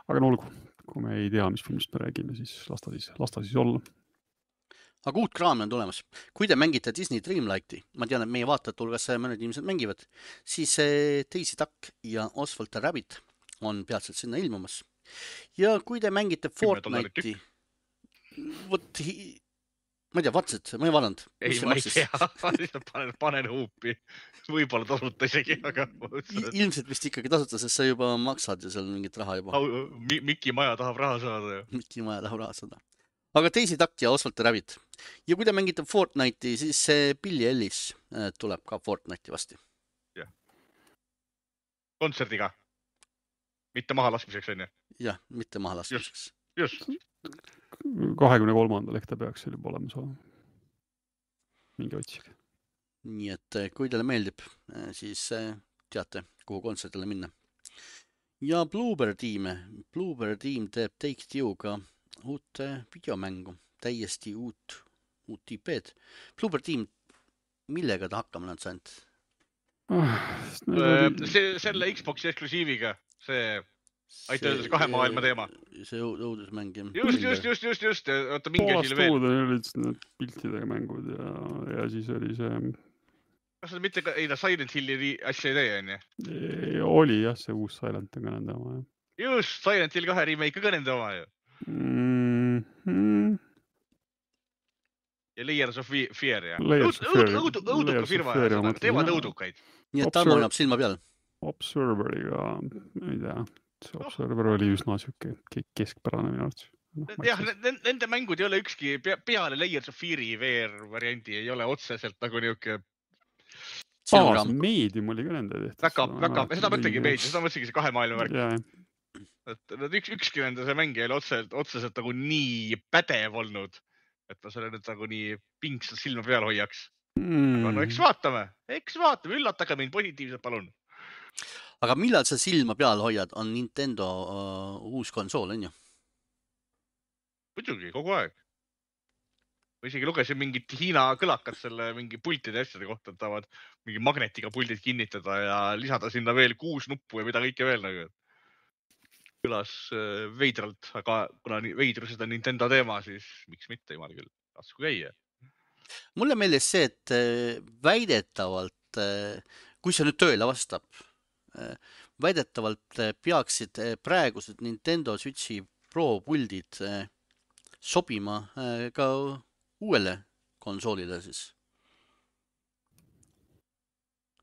Aga olgu. Kui me ei tea, mis filmist me räägime, siis lasta siis olla. Aga uut kraami on tulemas. Kui te mängite Disney Dreamlight'i, ma tean, et meie vaatajad hulgas mõned inimesed mängivad, siis Daisy Duck ja Oswald the Rabbit on peatselt sinna ilmumas. Ja kui te mängite Fortnite'i, ma ei tea, vaatasid, ma ei vaadanud. Ei, ma ei tea, panen huupi. Võib-olla tasuta isegi, aga... Ilmselt vist ikkagi tasuta, sest sa juba maksad ja seal mingit raha juba. Miki Maja tahab raha saada. Miki Maja tahab raha saada. Aga Daisy Duck ja Oswald the Rabbit. Ja kui te mängite Fortnite'i, siis Billy Ellis tuleb ka Fortnite'i vasti. Jah. Kontserdiga. Mitte maha laskmiseks, on ju? Jah, mitte maha laskmiseks. Just. 23. ehk ta peaks seal juba olema saama. Mingi otsige. Nii et kui teile meeldib, siis teate, kuhu kontserdile minna. Ja Bloober Team teeb Take-Two'ga uut videomängu, täiesti uut IP-d. Bloober Team, millega ta hakkama nad saanud? Selle Xboxi eksklusiiviga, see aitäh see 2 maailma teema. See õudusmäng. Just. Oota, mingi asi veel. Poolast olid need piltidega mängud ja siis oli see... Kas seda mitte Silent Hilli asja ei tee, on ju? Oli jah, see uus Silent on ka nende oma. Just, Silent Hill 2 remake ka nende oma ju. ja Layers of Fear ja. Layers of Fear. Õuduka firma ja seda, teevad õudukaid. Nii et Tarmo hoiab silma peal. Observeriga, ei tea, see Observer oli üsna siuke keskpärane minu arvates. Jah, nende mängud ei ole ükski peale Layers of Fear'i VR variandi ei ole otseselt nagu niuke Medium oli ka nende tehtud. Väga, seda mõtlegi Medium, seda mõtlegi see 2 maailma värk. Yeah. Et ükski nende see mäng ei ole otseselt nagu nii pädev olnud, et ma selle nüüd nagu nii pingsalt silma peal hoiaks. Aga no eks vaatame, üllatage mind positiivselt, palun. Aga millal sa silma peal hoiad, on Nintendo uus konsool, on ju? Muidugi, kogu aeg. Ma isegi lugesin mingit Hiina kõlakat selle mingi pultide asjade kohta, et tahavad mingi magnetiga puldid kinnitada ja lisada sinna veel 6 nuppu ja mida kõike veel nagu. Kõlas veidralt, aga kuna veidrused on Nintendo teema, siis miks mitte, jumal küll, lasku käia. Mulle meeldis see, et väidetavalt, kui see nüüd tööle vastab, väidetavalt peaksid praegused Nintendo Switchi Pro puldid sobima ka uuele konsoolile siis.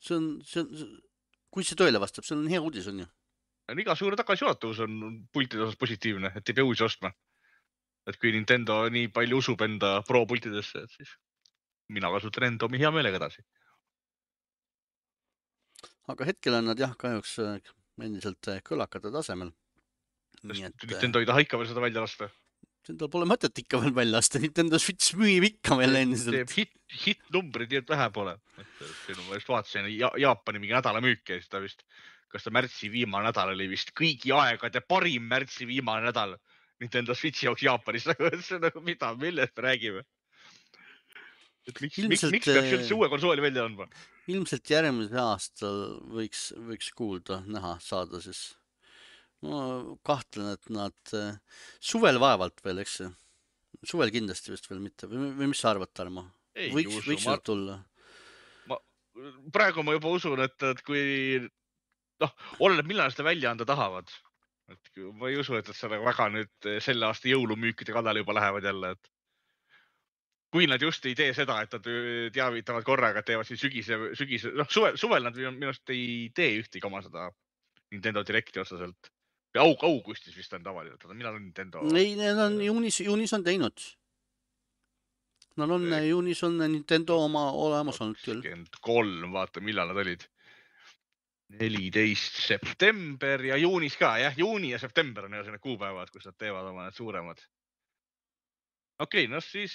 Kui see tööle vastab, see on hea uudis, on ju? Iga suure tagasiulatavus on pultide osas positiivne, et ei pea uusi ostma. Et kui Nintendo nii palju usub enda Pro pultidesse, et siis mina kasutan enda omi hea meelega edasi. Aga hetkel on nad jah kahjuks endiselt kõlakate tasemel. Nintendo ei taha ikka veel seda välja lasta. Nintendo pole mõtet ikka veel välja lasta. Nintendo Switch müüb ikka veel endiselt. Hit-numbrid nii et vähe pole. Ma just vaatasin Jaapani mingi nädala müüki ja siis ta vist, kas ta märtsi viimane nädal oli vist kõigi aegade parim märtsi viimane nädal Nintendo Switchi jaoks Jaapanis. See on nagu mida, millest me räägime? Miks peaks üldse uue konsooli välja andma? Ilmselt järgmisel aastal võiks kuulda, näha, saada siis. Ma kahtlen, et nad suvel vaevalt veel, eks see? Suvel kindlasti vist veel mitte. Või mis sa arvad, Tarmo? Võiks nad tulla? Praegu ma juba usun, et kui oleneb, millal seda välja anda tahavad. Ma ei usu, et seda väga nüüd selle aasta jõulumüükide kallale juba lähevad jälle, et kui nad just ei tee seda, et nad teavitavad korraga, et teevad siin sügise, suvel nad minust ei tee ühtegi oma seda Nintendo Directi otseselt. Augustis vist on tavaliselt, millal on Nintendo? Ei, need on juunis on teinud. Juunis on Nintendo oma olemas olnud küll. 3, vaata, millal nad olid. 14 september ja juunis ka, jah, juuni ja september on need kuupäevad, kus nad teevad oma need suuremad. Okei, no siis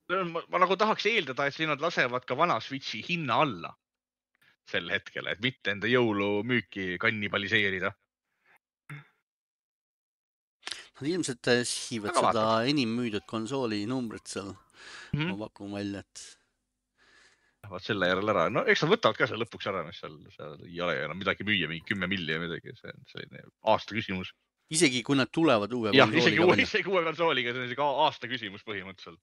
ma nagu tahaks eeldada, et siin nad lasevad ka vana Switchi hinna alla sel hetkel, et mitte enda jõulumüüki kannibaliseerida. Nad ilmselt sihivad seda enim müüdud konsooli numbrit seal. Ma pakun välja, et vaat selle järel ära. No eks nad võtavad ka seal lõpuks ära, mis seal ei ole enam midagi müüa, mingi 10 milli ja midagi. See on selline aasta küsimus. Isegi kui nad tulevad uue konsooliga välja. Isegi uue konsooliga, see on isegi aasta küsimus põhimõtteliselt.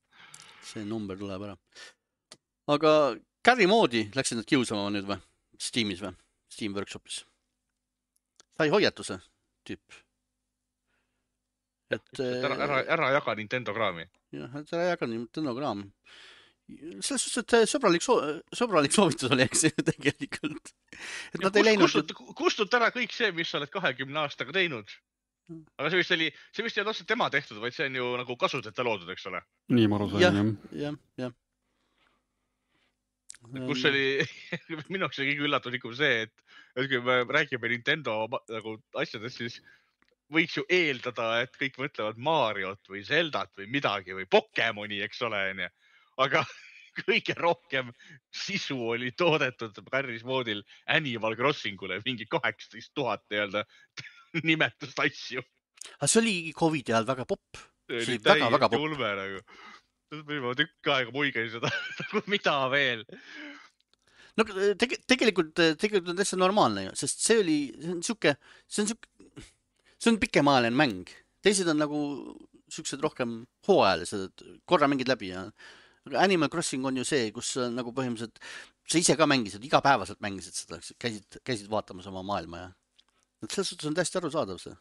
See number tuleb ära. Aga Carry moodi läksid nad kiusama nüüd või? Steamis või? Steam Workshopis. Sai hoiatuse tüüp. Ära jaga Nintendo kraami. Jah, et ära jaga Nintendo kraami. Selles suhtes, et sõbralik soovitus oli, eks tegelikult. Et nad ei läinud... Kustut ära kõik see, mis sa oled 20 aastaga teinud. Aga see vist ei olnud otseselt tema tehtud, vaid see on ju nagu kasuteta loodud, eks ole? Nii ma aru sain, jah. Kus oli, minuks oli kõige üllatus ikka see, et kui me räägime Nintendo nagu asjadest, siis võiks ju eeldada, et kõik mõtlevad Mariot või Zeldat või midagi või Pokemoni, eks ole, aga kõige rohkem sisu oli toodetud Carry's moodil Animal Crossingule, mingi 18 000 nii-öelda nimetust asju. Aga see oli COVID-i ajal väga popp. See oli väga popp. Ulme nagu. Ma tükk aega muigasin seda, mida veel. No tegelikult on täitsa normaalne ju, sest see on pikemaajaline mäng. Teised on nagu siuksed rohkem hooajalised, korra mängid läbi ja Animal Crossing on ju see, kus nagu põhimõtteliselt sa ise ka mängisid, igapäevaselt mängisid seda, käisid vaatamas oma maailma ja selles suhtes on täiesti arusaadav see.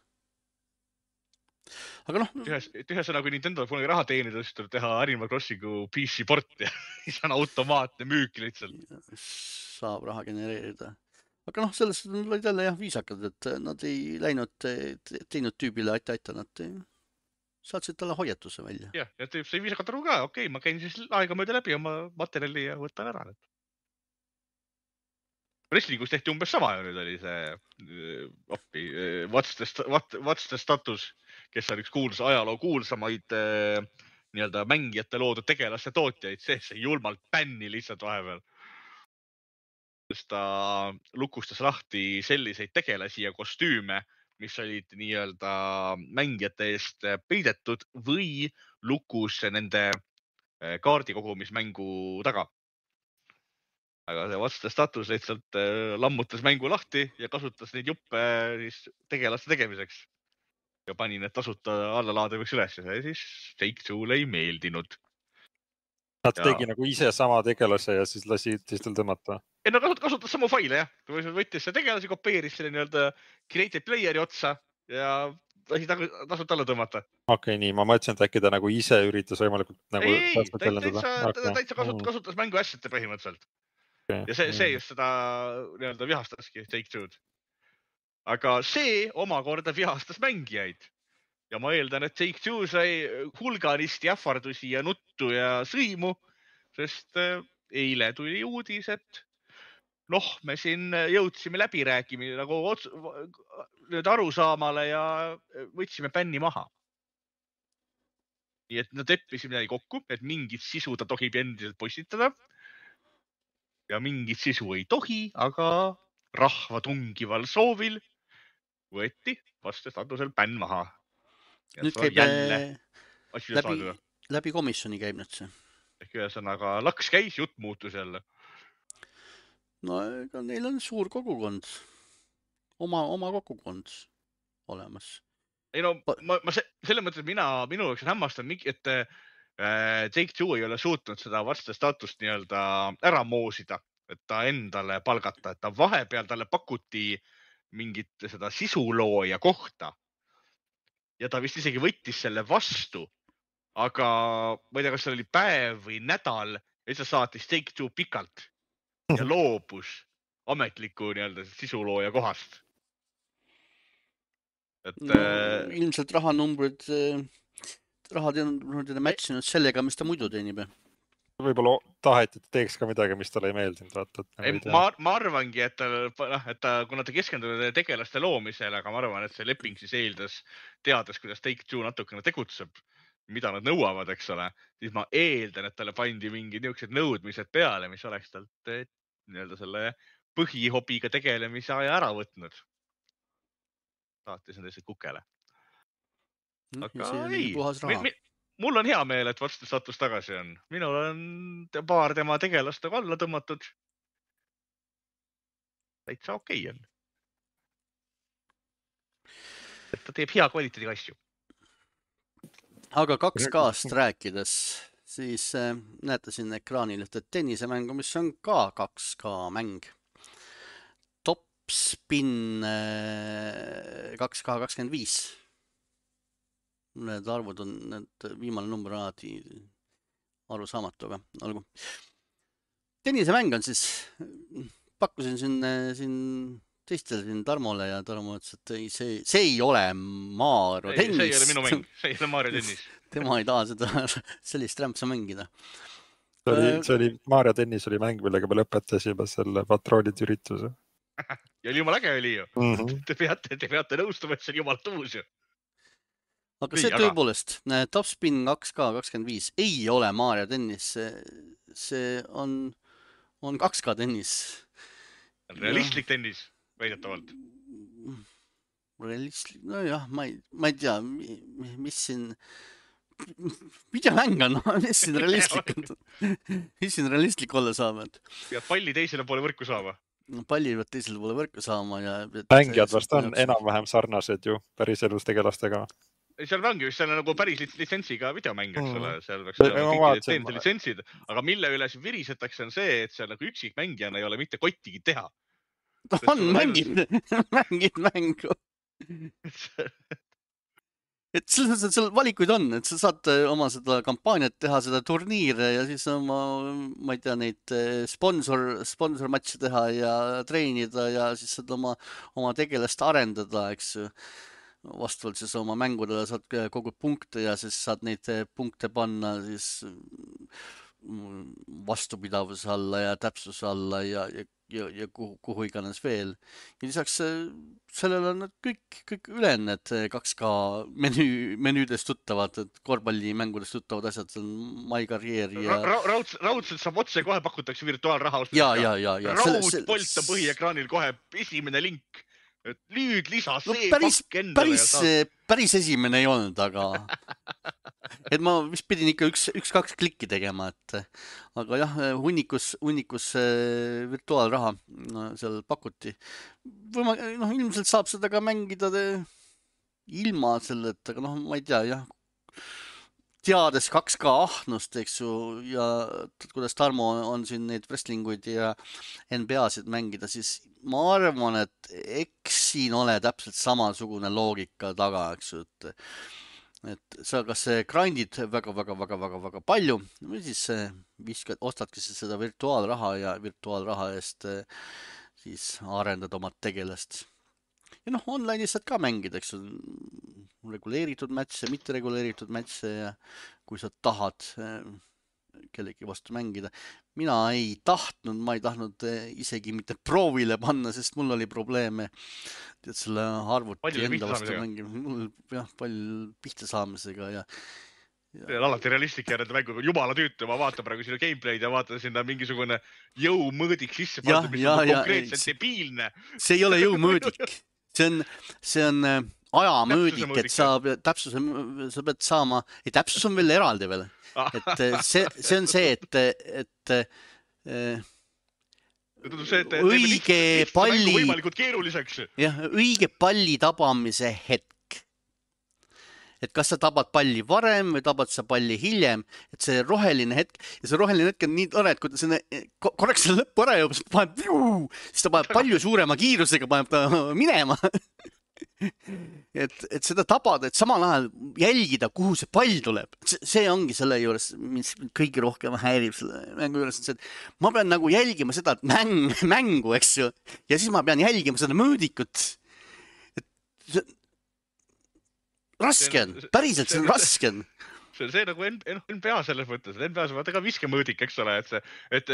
aga noh, ühesõnaga, kui Nintendo polegi raha teenida, siis tuleb teha Animal Crossingu PC port ja siis on automaatne müük lihtsalt. saab raha genereerida. aga noh, sellest olid jälle jah viisakad, et nad ei läinud teinud tüübile aita, nad saatsid talle hoiatuse välja. Jah, ja tüüp sai viisakalt aru ka, okei, ma käin siis aegamööda läbi oma materjali ja võtan ära. Wrestlingus tehti umbes sama ja nüüd oli see What's the Status, kes on üks ajaloo kuulsamaid nii-öelda mängijate loodud tegelaste tootjaid, see julmalt bänni lihtsalt vahepeal. Sest ta lukustas lahti selliseid tegelasi ja kostüüme, mis olid nii-öelda mängijate eest peidetud või lukus nende kaardikogumismängu taga. Aga see What's the Status lihtsalt lammutas mängu lahti ja kasutas neid juppe siis tegelaste tegemiseks. Ja pani need tasuta allalaadavaks üles ja siis Take-Two'le ei meeldinud. Nad tegi nagu ise sama tegelase ja siis lasi teistel tõmmata. Ei, no kasutas samu faile, jah. Võttis see tegelasi, kopeeris selle nii-öelda created playeri otsa ja lasi tasuta alla tõmmata. Okei, nii. Ma mõtlesin, et äkki ta nagu ise üritas võimalikult nagu... täitsa kasutas mängu asjate põhimõtteliselt. Ja see just seda nii-öelda vihastaski Take-Two'd. Aga see omakorda vihastas mängijaid. Ja ma eeldan, et Take-Two sai hulganisti ähvardusi ja nuttu ja sõimu, sest eile tuli uudis, et me siin jõudsime läbirääkimine nagu arusaamale ja võtsime bänni maha. Nii et nad leppisid midagi kokku, et mingit sisu ta tohib endiselt postitada. Ja mingit sisu ei tohi, aga rahva tungival soovil võeti vastu statusel bänn maha. Ja nüüd käib läbi komisjoni käib nüüd see. Ehk ühesõnaga laks käis, jutt muutus jälle. No ega neil on suur kogukond. Oma kogukond olemas. Ei no, ma selle mõttes, et minu jaoks on hämmastav, et Take-Two ei ole suutnud seda What's the Status nii-öelda ära moosida, et ta endale palgata, et ta vahepeal talle pakuti mingit seda sisulooja kohta. Ja ta vist isegi võttis selle vastu, aga ma ei tea, kas see oli päev või nädal, ja siis saatis Take-Two pikalt ja loobus ametliku nii-öelda sisulooja kohast. Et, ilmselt rahanumbrid matchinud sellega, mis ta muidu teenib. Võib-olla taheti, et teeks ka midagi, mis talle ei meeldinud. Ma arvangi, et kuna ta keskendunud tegelaste loomisele, aga ma arvan, et see leping siis eeldas, teades, kuidas Take-Two natukene tegutseb, mida nad nõuavad, eks ole, siis ma eeldan, et talle pandi mingid niisugused nõudmised peale, mis oleks talt nii-öelda selle põhihobiga tegelemise aja ära võtnud. Saatis nad lihtsalt kukele. Aga ei, mul on hea meel, et What's the Status tagasi on. Minul on paar tema tegelastega alla tõmmatud. Täitsa okei on. Et ta teeb hea kvaliteediga asju. Aga 2K-st rääkides, siis näete siin ekraanil ühte tennisemängu, mis on ka 2K mäng. Top Spin 2K25. Need arvud on, need viimane number on alati aru saamatu, aga olgu. Tennisemäng on siis, pakkusin siin teistele siin Tarmole ja Tarmo ütles, et ei, see ei ole Mario tennis. See ei ole minu mäng, see ei ole Mario tennis. Tema ei taha seda sellist rämpsa mängida. See oli Mario tennis oli mäng, millega me lõpetasime selle patroonid ürituse. Ja oli jumal äge oli ju. Te peate nõustuma, et see on jumal tuus ju. Aga see tõepoolest, Top Spin 2K25 ei ole Mario tennis, see on 2K tennis. Realistlik tennis, väidetavalt. Realistlik, no jah, ma ei tea, mis siin, videomäng on, mis siin realistlik olla saab. Pead palli teisele poole võrku saama. Palli pead teisele poole võrku saama. Mängijad vast on enam-vähem sarnased ju päris elus tegelastega. Seal ongi vist nagu päris litsentsiga videomäng, eks ole, seal peaks olema litsentsid, aga mille üle siin virisetakse on see, et seal nagu üksik mängijana ei ole mitte kottigi teha. On mängid mängu. et seal valikuid on, et sa saad oma seda kampaaniat teha, seda turniire ja siis oma, ma ei tea, neid sponsormatše teha ja treenida ja siis saad oma tegelast arendada, eks ju. Vastavalt siis oma mängudele saad kogu punkte ja siis saad neid punkte panna siis vastupidavuse alla ja täpsuse alla ja kuhu iganes veel. Ja lisaks sellele on need kõik ülejäänud need 2K menüüdest tuttavad, korvpallimängudest tuttavad asjad, see on My Career ja... Raudselt saab otse kohe pakutakse virtuaalraha. Ja. Raudpolt on põhiekraanil kohe esimene link. Et nüüd lisa see pakk endale. Päris esimene ei olnud, aga... Et ma vist pidin ikka üks-kaks klikki tegema, aga jah, hunnikus virtuaalraha seal pakuti. Ilmselt saab seda ka mängida ilma selleta, aga ma ei tea, jah. Teades 2K ahnust, eks ju, ja kuidas Tarmo on siin neid wrestlinguid ja NBA-sid mängida, siis ma arvan, et eks siin ole täpselt samasugune loogika taga, eks ju, et sa kas grindid väga palju või siis ostadki seda virtuaalraha ja virtuaalraha eest siis arendad oma tegelast. Ja online'is saad ka mängida, eks ju, reguleeritud matche, mitte reguleeritud matche ja kui sa tahad kellegi vastu mängida. Mina ei tahtnud isegi mitte proovile panna, sest mul oli probleeme selle arvuti enda vastu mängima. Mul palju pihta saamisega ja alati realistlik järjenda mängu, jumala tüütu, ma vaatan praegu sinu gameplay'd ja vaatan sinna mingisugune jõumõõdik sisse pandud, mis on konkreetselt debiilne. See ei ole jõumõõdik. See on ajamõõdik, et sa pead saama, täpsus on veel eraldi veel. Et see on see, et õige palli tabamise hetk. Et kas sa tabad palli varem või tabad sa palli hiljem, et see roheline hetk, ja see roheline hetk on nii tore, et kui ta korraks selle lõppu ära jõuab, siis ta paneb palju suurema kiirusega, paneb ta minema. Et seda tabada, et samal ajal jälgida, kuhu see pall tuleb. See ongi selle juures, mis kõige rohkem häirib selle mängu juures, et ma pean nagu jälgima seda mängu, eks ju, ja siis ma pean jälgima seda mõõdikut. Raske on, päriselt see on raske on. See nagu NBA selles mõttes, et NBA-s vaata ka viskemõõdik, eks ole, et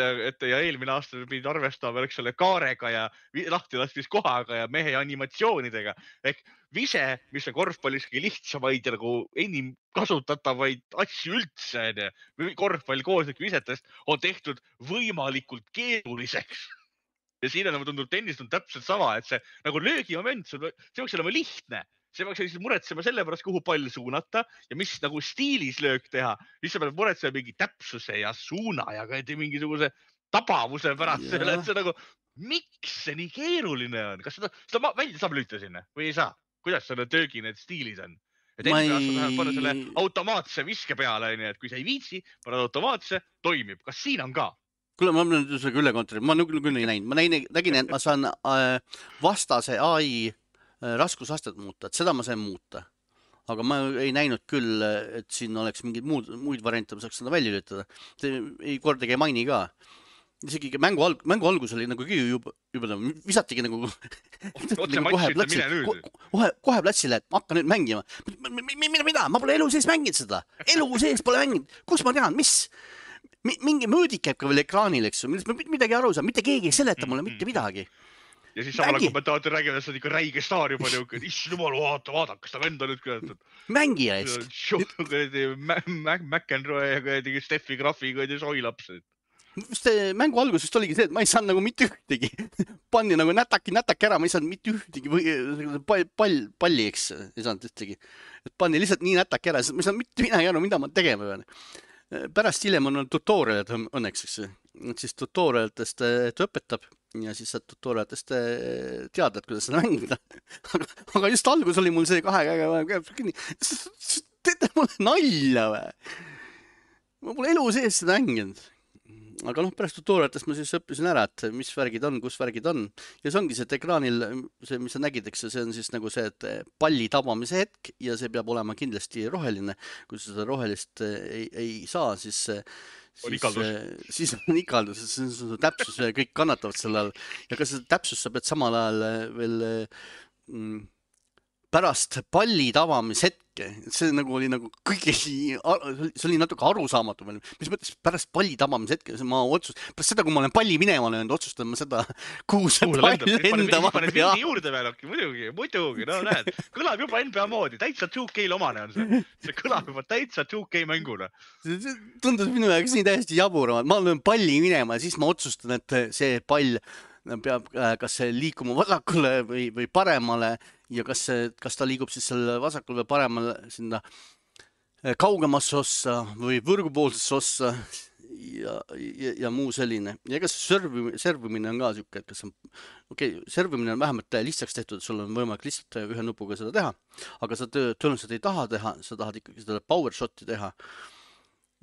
ja eelmine aasta pidid arvestama, eks ole, kaarega ja lahti lastis kohaga ja mehe animatsioonidega. Ehk vise, mis on korvpallis lihtsamaid ja nagu enim kasutatavaid asju üldse, korvpall kooslik visetest on tehtud võimalikult keeruliseks. Ja siin on tundub tennist on täpselt sama, et see nagu löögimoment, see võiks olema lihtne. See peaks muretsema selle pärast, kuhu pall suunata ja mis nagu stiilis löök teha. Siis sa pead muretsema mingi täpsuse ja suuna ja mingisuguse tabavuse pärast. Et see nagu, miks see nii keeruline on? Kas seda välja saab lüüta sinna või ei saa? Kuidas selle töögi need stiilid on? Et enne aastal panna selle automaatse viske peale, et kui sa ei viitsi, paned automaatse, toimib. Kas siin on ka? Kuule, ma olen seda üle kontrolli. Ma küll ei näinud. Ma nägin, et ma saan vastase AI raskusastet muuta, et seda ma sain muuta. Aga ma ei näinud küll, et siin oleks mingeid muid variante, ma saaks seda välja lülitada. Ei kordagi ei maini ka. Isegi mängu algus oli nagu juba visatigi nagu kohe platsile, et ma hakkan nüüd mängima. Mida? Ma pole elu sees mänginud seda. Elu sees pole mänginud. Kus ma tean, mis? Mingi mõõdik käib ka veel ekraanil, eks ju. Midagi aru saa, mitte keegi ei seleta mulle mitte midagi. Ja siis samale kommentaator räägib, et see on ikka räige staar juba niuke, et issand jumal, vaata, kas ta vend on nüüd küll. Mängija eest. McEnroe ja Steffi Graffi ja soilaps. Mängu algus vist oligi see, et ma ei saanud nagu mitte ühtegi. Panni nagu nätaki ära, ma ei saanud mitte ühtegi palli, eks, ei saanud ühtegi. Panni lihtsalt nii nätaki ära, ma ei saanud mitte midagi aru, mida ma tegema pean. Pärast hiljem on tutorialid õnneks, siis tutorialitest ta õpetab ja siis saad tutorialitest teada, et kuidas seda mängida. Aga just algus oli mul see kahe käega kinni. Teete mulle nalja või? Ma pole elu sees seda mänginud. aga noh, pärast tutorialitest ma siis õppisin ära, et mis värgid on, kus värgid on ja see ongi see, et ekraanil, see, mis sa nägid, eks see on siis nagu see, et palli tabamise hetk ja see peab olema kindlasti roheline. Kui sa seda rohelist ei saa, siis on ikaldus, siis on täpsus ja kõik kannatavad selle all ja ka seda täpsust sa pead samal ajal veel pärast palli tabamishetke, see nagu oli nagu kõige, see oli natuke arusaamatu veel, mis mõttes pärast palli tabamishetke, ma pärast seda, kui ma olen palli minema löönud, otsustan ma seda, kuhu see pall lendama peab. Juurde veel, muidugi, no näed, kõlab juba NBA moodi, täitsa 2K-l omane on see. See kõlab juba täitsa 2K mänguna. See tundus minu jaoks nii täiesti jaburama, ma löön palli minema ja siis ma otsustan, et see pall peab kas liikuma vasakule või paremale ja kas ta liigub siis selle vasakule või paremale sinna kaugemasse ossa või võrgupoolsesse ossa ja muu selline. Ja kas servimine on ka siuke, et kas on, servimine on vähemalt lihtsaks tehtud, sul on võimalik lihtsalt ühe nupuga seda teha, aga sa tõenäoliselt ei taha teha, sa tahad ikkagi seda power shot'i teha.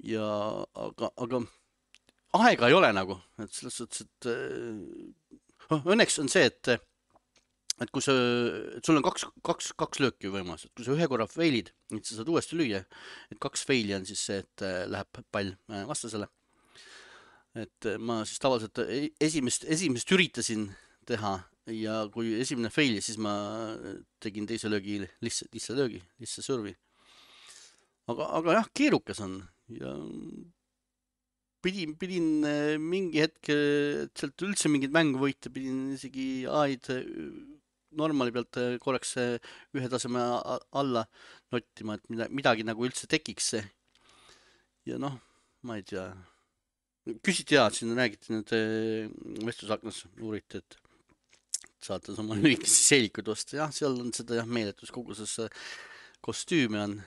Ja aga aega ei ole nagu, et selles suhtes, et õnneks on see, et kui sul on kaks lööki võimalus, et kui sa ühe korra failid, et sa saad uuesti lüüa, et 2 faili on siis see, et läheb pall vastasele. Et ma siis tavaliselt esimest üritasin teha ja kui esimene faili, siis ma tegin teise löögi, lihtsa löögi, lihtsa servi. Aga jah, keerukas on ja pidin mingi hetk sealt üldse mingit mängu võita, pidin isegi aid normali pealt korraks ühe taseme alla nottima, et midagi nagu üldse tekiks see. Ja noh, ma ei tea. Küsiti siin räägiti nüüd vestlusaknas, uuriti, et saate oma lühikesi seelikuid osta. Jah, seal on seda meeletus koguses kostüüme on,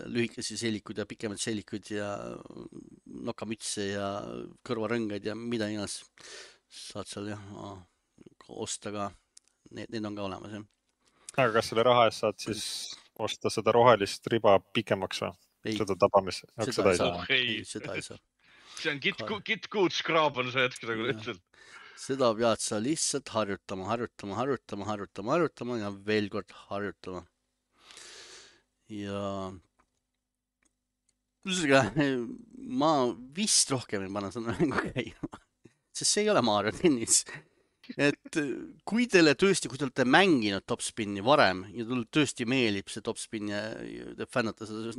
lühikesi seelikud ja pikemad seelikud ja nokamütse ja kõrvarõngaid ja mida iganes saad seal osta ka. Need on ka olemas, jah. Aga kas selle raha eest saad siis osta seda rohelist riba pikemaks või? Seda tabamis? Seda ei saa. See on Git-Good Scrub on see hetk nagu lihtsalt. Seda pead sa lihtsalt harjutama ja veel kord harjutama. Ja ma vist rohkem ei panna seda mängu käima, sest see ei ole Mario tennis. Et kui te olete mänginud topspinni varem ja teile tõesti meelib see topspin ja te fännate seda,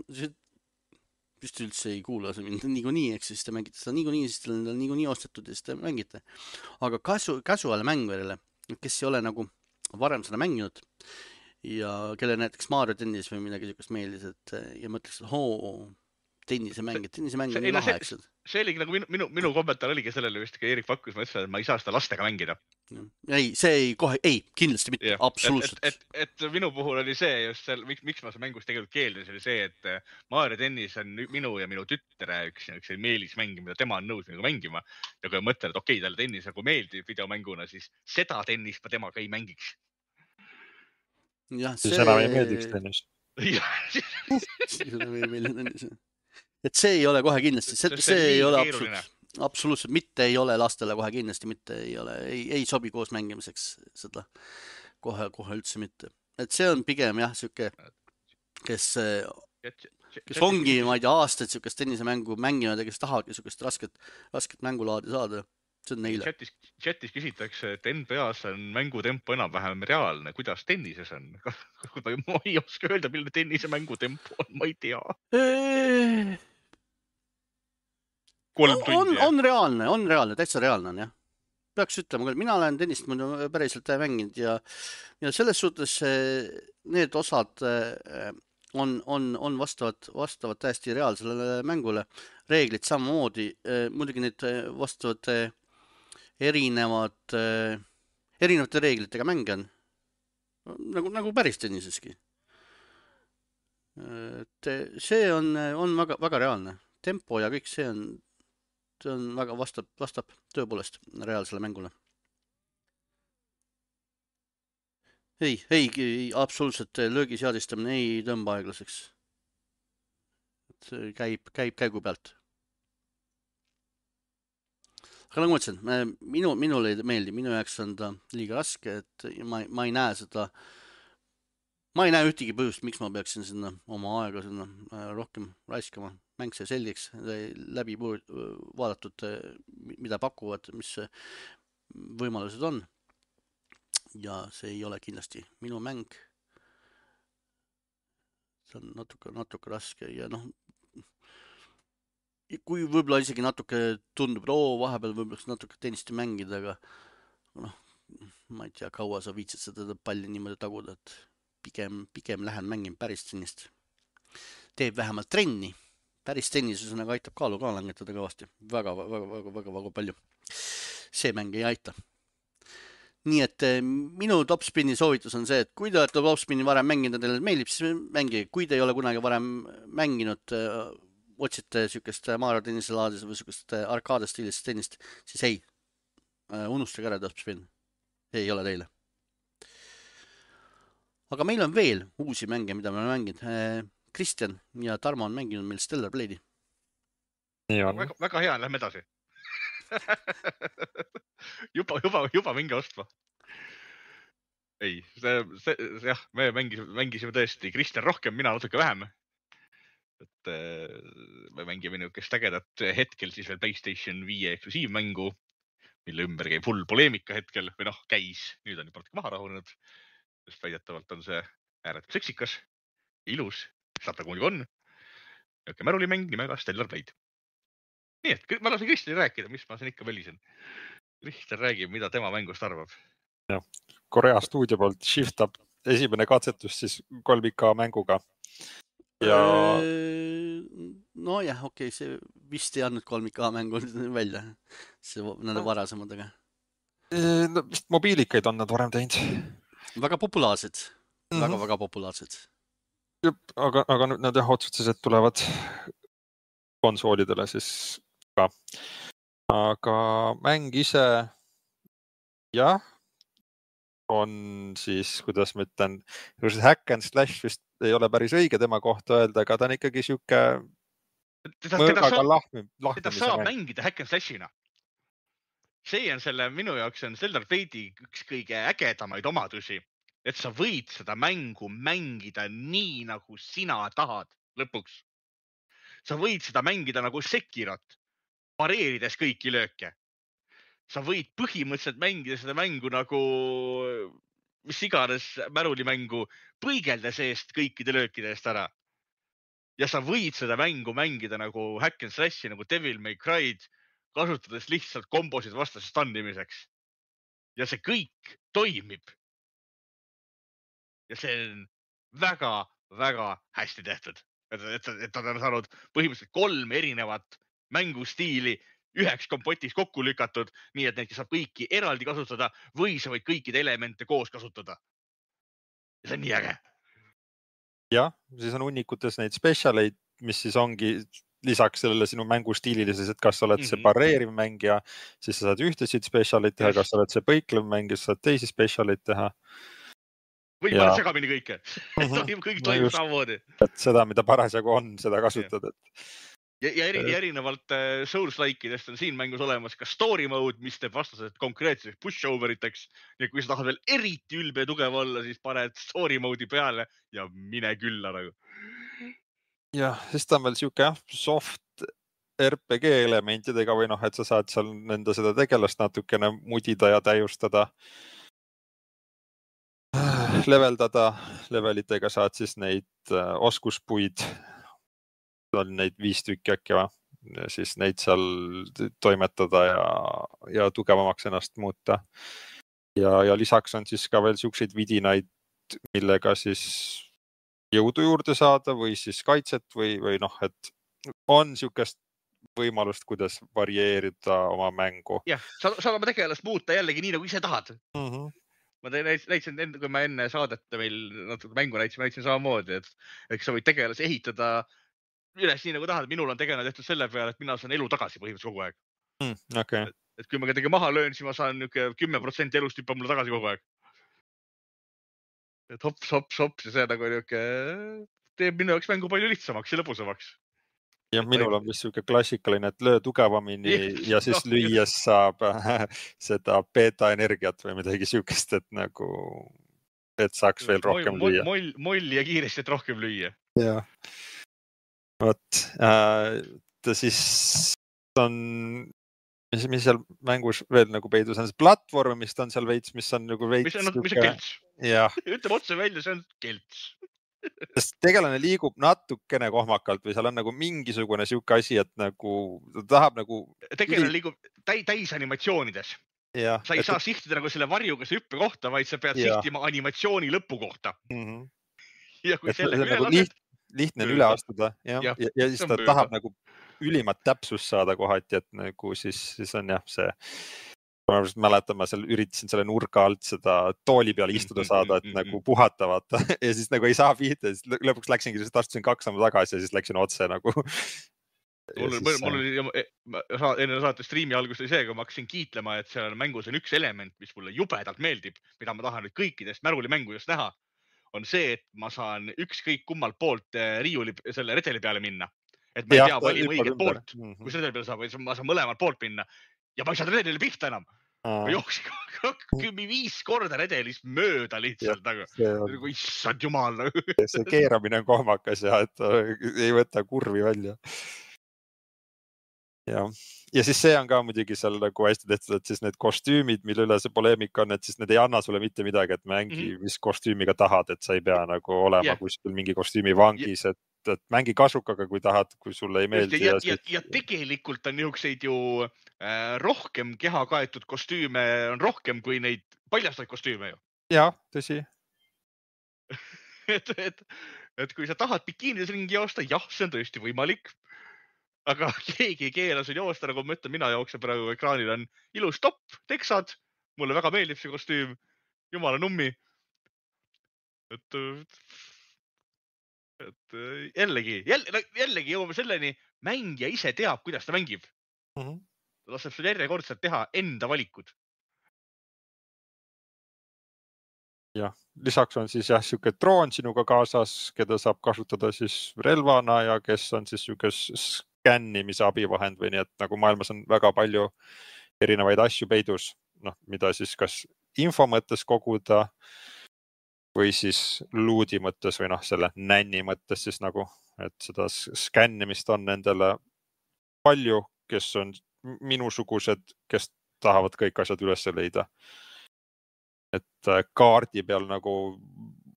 vist üldse ei kuula see mind niikuinii, eks siis te mängite seda niikuinii, siis teil on niikuinii ostetud ja siis te mängite. Aga casual mängurile, kes ei ole nagu varem seda mänginud ja kelle näiteks Mario tennis või midagi sellist meeldis, et ja mõtleks, et tennisemäng on lahe, eks. See oligi nagu minu kommentaar oligi sellele vist, kui Erik pakkus, ma ütlesin, et ma ei saa seda lastega mängida. Ei, kindlasti mitte, absoluutselt. Et minu puhul oli see just seal, miks ma see mängust tegelikult keeldus, oli see, et Mario tennis on minu ja minu tütre üks meelismäng, mida tema on nõus mängima. Ja kui mõtlen, et okei, talle tennis nagu meeldib videomänguna, siis seda tennist ma temaga ei mängiks. Siis enam ei meeldiks tennis. Et see ei ole kohe kindlasti, see ei ole absoluutselt mitte ei ole lastele kohe kindlasti mitte ei sobi koos mängimiseks seda kohe üldse mitte. Et see on pigem jah, siuke, kes ongi, ma ei tea, aastaid siukest tennisemängu mänginud ja kes tahagi siukest rasket mängulaadi saada. See on neile. Chatis küsitakse, et NBA-s on mängutempo enam-vähem reaalne. Kuidas tennises on? Ma ei oska öelda, milline tennise mängutempo on, ma ei tea. 3 tundi. On reaalne, täitsa reaalne on, jah. Peaks ütlema, mina olen tennist päriselt mänginud ja selles suhtes need osad on vastavad täiesti reaalsele mängule. Reeglid samamoodi, muidugi need vastavad erinevate reeglitega mänge on. Nagu päris tenniseski. See on väga, väga reaalne. Tempo ja kõik see on väga vastab tõepoolest reaalsele mängule. Ei, absoluutselt löögiseadistamine ei tõmba aeglaseks. Käib käigu pealt. aga nagu ma ütlesin, minule ei meeldi, minu jaoks on ta liiga raske, et ma ei näe seda, ma ei näe ühtegi põhjust, miks ma peaksin sinna oma aega sinna rohkem raiskama. Mäng see selgeks, läbi vaadatud, mida pakuvad, mis võimalused on. Ja see ei ole kindlasti minu mäng. See on natuke raske ja kui võib-olla isegi natuke tundub, vahepeal võib-olla natuke tennisti mängida, aga ma ei tea, kaua sa viitsid seda palli niimoodi taguda, et pigem lähen mängin päris tennist. Teeb vähemalt trenni. Päris tennis aitab kaalu ka langetada kõvasti. Väga palju. See mäng ei aita. Nii et minu topspinni soovitus on see, et kui te olete topspinni varem mänginud ja teile meeldib, siis mängige. Kui te ei ole kunagi varem mänginud, otsite sükest Mario tennise laadis või sükest arkaadestiilist tennist, siis ei, unustage ära topspin. Ei ole teile. Aga meil on veel uusi mänge, mida me oleme mänginud. Kristjan ja Tarmo on mänginud meil Stellar Blade'i. Väga hea, lähme edasi. juba minge ostma. Ei, jah, me mängisime tõesti Kristjan rohkem, mina natuke vähem. Et me mängime niisugust ägedat hetkel siis veel PlayStation 5 eksklusiivmängu, mille ümber käib hull poleemika hetkel, või käis, nüüd on juba natuke maha rahunenud, sest väidetavalt on see ääretult seksikas, ilus, saab ta muidugi on. Niisugune märulimäng nimega Stellar Blade. Nii et ma lasen Kristjan rääkida, mis ma siin ikka välisen. Kristjan räägib, mida tema mängust arvab. Ja, Korea stuudio poolt Shift Up esimene katsetus siis 3K mänguga. Ja... Nojah, okei, see vist ei andnud 3K mängu välja nende varasemadega. Vist mobiilikaid on nad varem teinud. Väga populaarsed. Väga populaarsed. Aga nüüd nad otsustasid, et tulevad konsoolidele siis ka. Aga mäng ise jah, on siis, kuidas ma ütlen, hack and slash vist ei ole päris õige tema kohta öelda, aga ta on ikkagi siuke mõõgaga lahmimise. Teda saab mängida hack and slashina. See on minu jaoks on Stellar Blade'i üks kõige ägedamaid omadusi, et sa võid seda mängu mängida nii, nagu sina tahad lõpuks. Sa võid seda mängida nagu Sekirot, pareerides kõiki lööke. Sa võid põhimõtteliselt mängida seda mängu nagu mis iganes märulimängu, põigeldes eest kõikide löökide eest ära. Ja sa võid seda mängu mängida nagu hack and slashi, nagu Devil May Cry'd, kasutades lihtsalt kombosid vastase stannimiseks. Ja see kõik toimib. Ja see on väga hästi tehtud. Et ta on saanud põhimõtteliselt 3 erinevat mängustiili üheks kompotis kokku lükatud, nii et neid saab kõiki eraldi kasutada või sa võid kõikide elemente koos kasutada. Ja see on nii äge. Jah, siis on hunnikutes neid spetsialeid, mis siis ongi lisaks sellele sinu mängustiililises, et kas sa oled see pareeriv mängija, siis sa saad ühtesid spetsialeid teha, kas sa oled see põiklev mängija, siis saad teisi spetsialeid teha. Või paned segamini kõike. Kõik toimub samamoodi. Et seda, mida parasjagu on, seda kasutad. Ja erinevalt Souls-likeidest on siin mängus olemas ka story mode, mis teeb vastased konkreetseks push-overiteks. Ja kui sa tahad veel eriti ülbe ja tugev olla, siis paned story mode'i peale ja mine külla nagu. Jah, siis ta on veel siuke soft RPG elementidega või et sa saad seal nende seda tegelast natukene mudida ja täiustada. Leveldada. Levelitega saad siis neid oskuspuid. On neid 5 tükki äkki va. Siis neid seal toimetada ja tugevamaks ennast muuta. Ja lisaks on siis ka veel siukseid vidinaid, millega siis jõudu juurde saada või siis kaitset või et on siukest võimalust, kuidas varieerida oma mängu. Jah, saad oma tegelast muuta jällegi nii, nagu ise tahad. Ma näitsin, kui ma enne saadet meil natuke mängu näitsin samamoodi, et sa võid tegelasi ehitada üles nii nagu tahad. Minul on tegelane tehtud selle peale, et mina saan elu tagasi põhimõtteliselt kogu aeg. Okay. Et kui ma kedagi maha löön, siis ma saan 10% elust hüppab mulle tagasi kogu aeg. Et hops ja see nagu teeb minu jaoks mängu palju lihtsamaks ja lõbusamaks. Ja minul on vist siuke klassikaline, et löö tugevamini ja siis lüües saab seda beta energiat või midagi siukest, et nagu, et saaks veel rohkem lüüa. Moll ja kiiresti, et rohkem lüüa. Jah. Vot, siis on, mis seal mängus veel nagu peidus on, see platvormist on seal veits, mis on nagu veits. Mis on kelts? Ütleme otse välja, see on kelts. Sest tegelane liigub natukene kohmakalt või seal on nagu mingisugune siuke asi, et nagu ta tahab nagu. Tegelane liigub täis animatsioonides. Ja, sa ei saa sihtida nagu selle varjuga see hüppe kohta, vaid sa pead sihtima animatsiooni lõpu kohta. Ja kui selle üle nagu lased. Lihtne on üle astuda ja siis ta tahab nagu ülimat täpsust saada kohati, et nagu siis on jah see. Ma mäletan, ma seal üritasin selle nurga alt seda tooli peale istuda saada, et nagu puhata vaata ja siis nagu ei saa pihta, siis lõpuks läksingi, siis astusin 2 sammu tagasi ja siis läksin otse nagu. Mul oli enne saate striimi algust oli see, kui ma hakkasin kiitlema, et seal mängus on üks element, mis mulle jubedalt meeldib, mida ma tahan nüüd kõikidest märgulimängu just näha, on see, et ma saan ükskõik kummalt poolt riiuli selle redeli peale minna. Et ma ei tea valima õiget poolt, kus redeli peale saab, ma saan mõlemalt poolt minna. Ja ma ei saa redelile pihta enam. Ma jooksin 5 korda redelist mööda lihtsalt. Nagu issand jumal. See keeramine on kohmakas ja et ei võta kurvi välja. Ja siis see on ka muidugi seal nagu hästi tehtud, et siis need kostüümid, mille üle see poleemika on, et siis need ei anna sulle mitte midagi, et mängi mis kostüümiga tahad, et sa ei pea nagu olema kuskil mingi kostüümi vangis, et mängi kasukaga, kui tahad, kui sulle ei meeldi. Ja tegelikult on niisuguseid ju rohkem keha kaetud kostüüme on rohkem kui neid paljastaid kostüüme ju. Jah, tõsi. Et kui sa tahad bikiinides ringi joosta, jah, see on tõesti võimalik. Aga keegi ei keela sul joosta, nagu ma ütlen, mina jooksen praegu ekraanil on ilus topp, teksad. Mulle väga meeldib see kostüüm. Jumala nummi. Et jällegi jõuame selleni, mängija ise teab, kuidas ta mängib. Ta laseb sul järjekordselt teha enda valikud. Jah, lisaks on siis siuke droon sinuga kaasas, keda saab kasutada siis relvana ja kes on siis siuke skännimise abivahend või nii, et nagu maailmas on väga palju erinevaid asju peidus, mida siis kas info mõttes koguda või siis luudi mõttes või selle nänni mõttes siis nagu, et seda skännimist on nendele palju, kes on minusugused, kes tahavad kõik asjad üles leida. Et kaardi peal nagu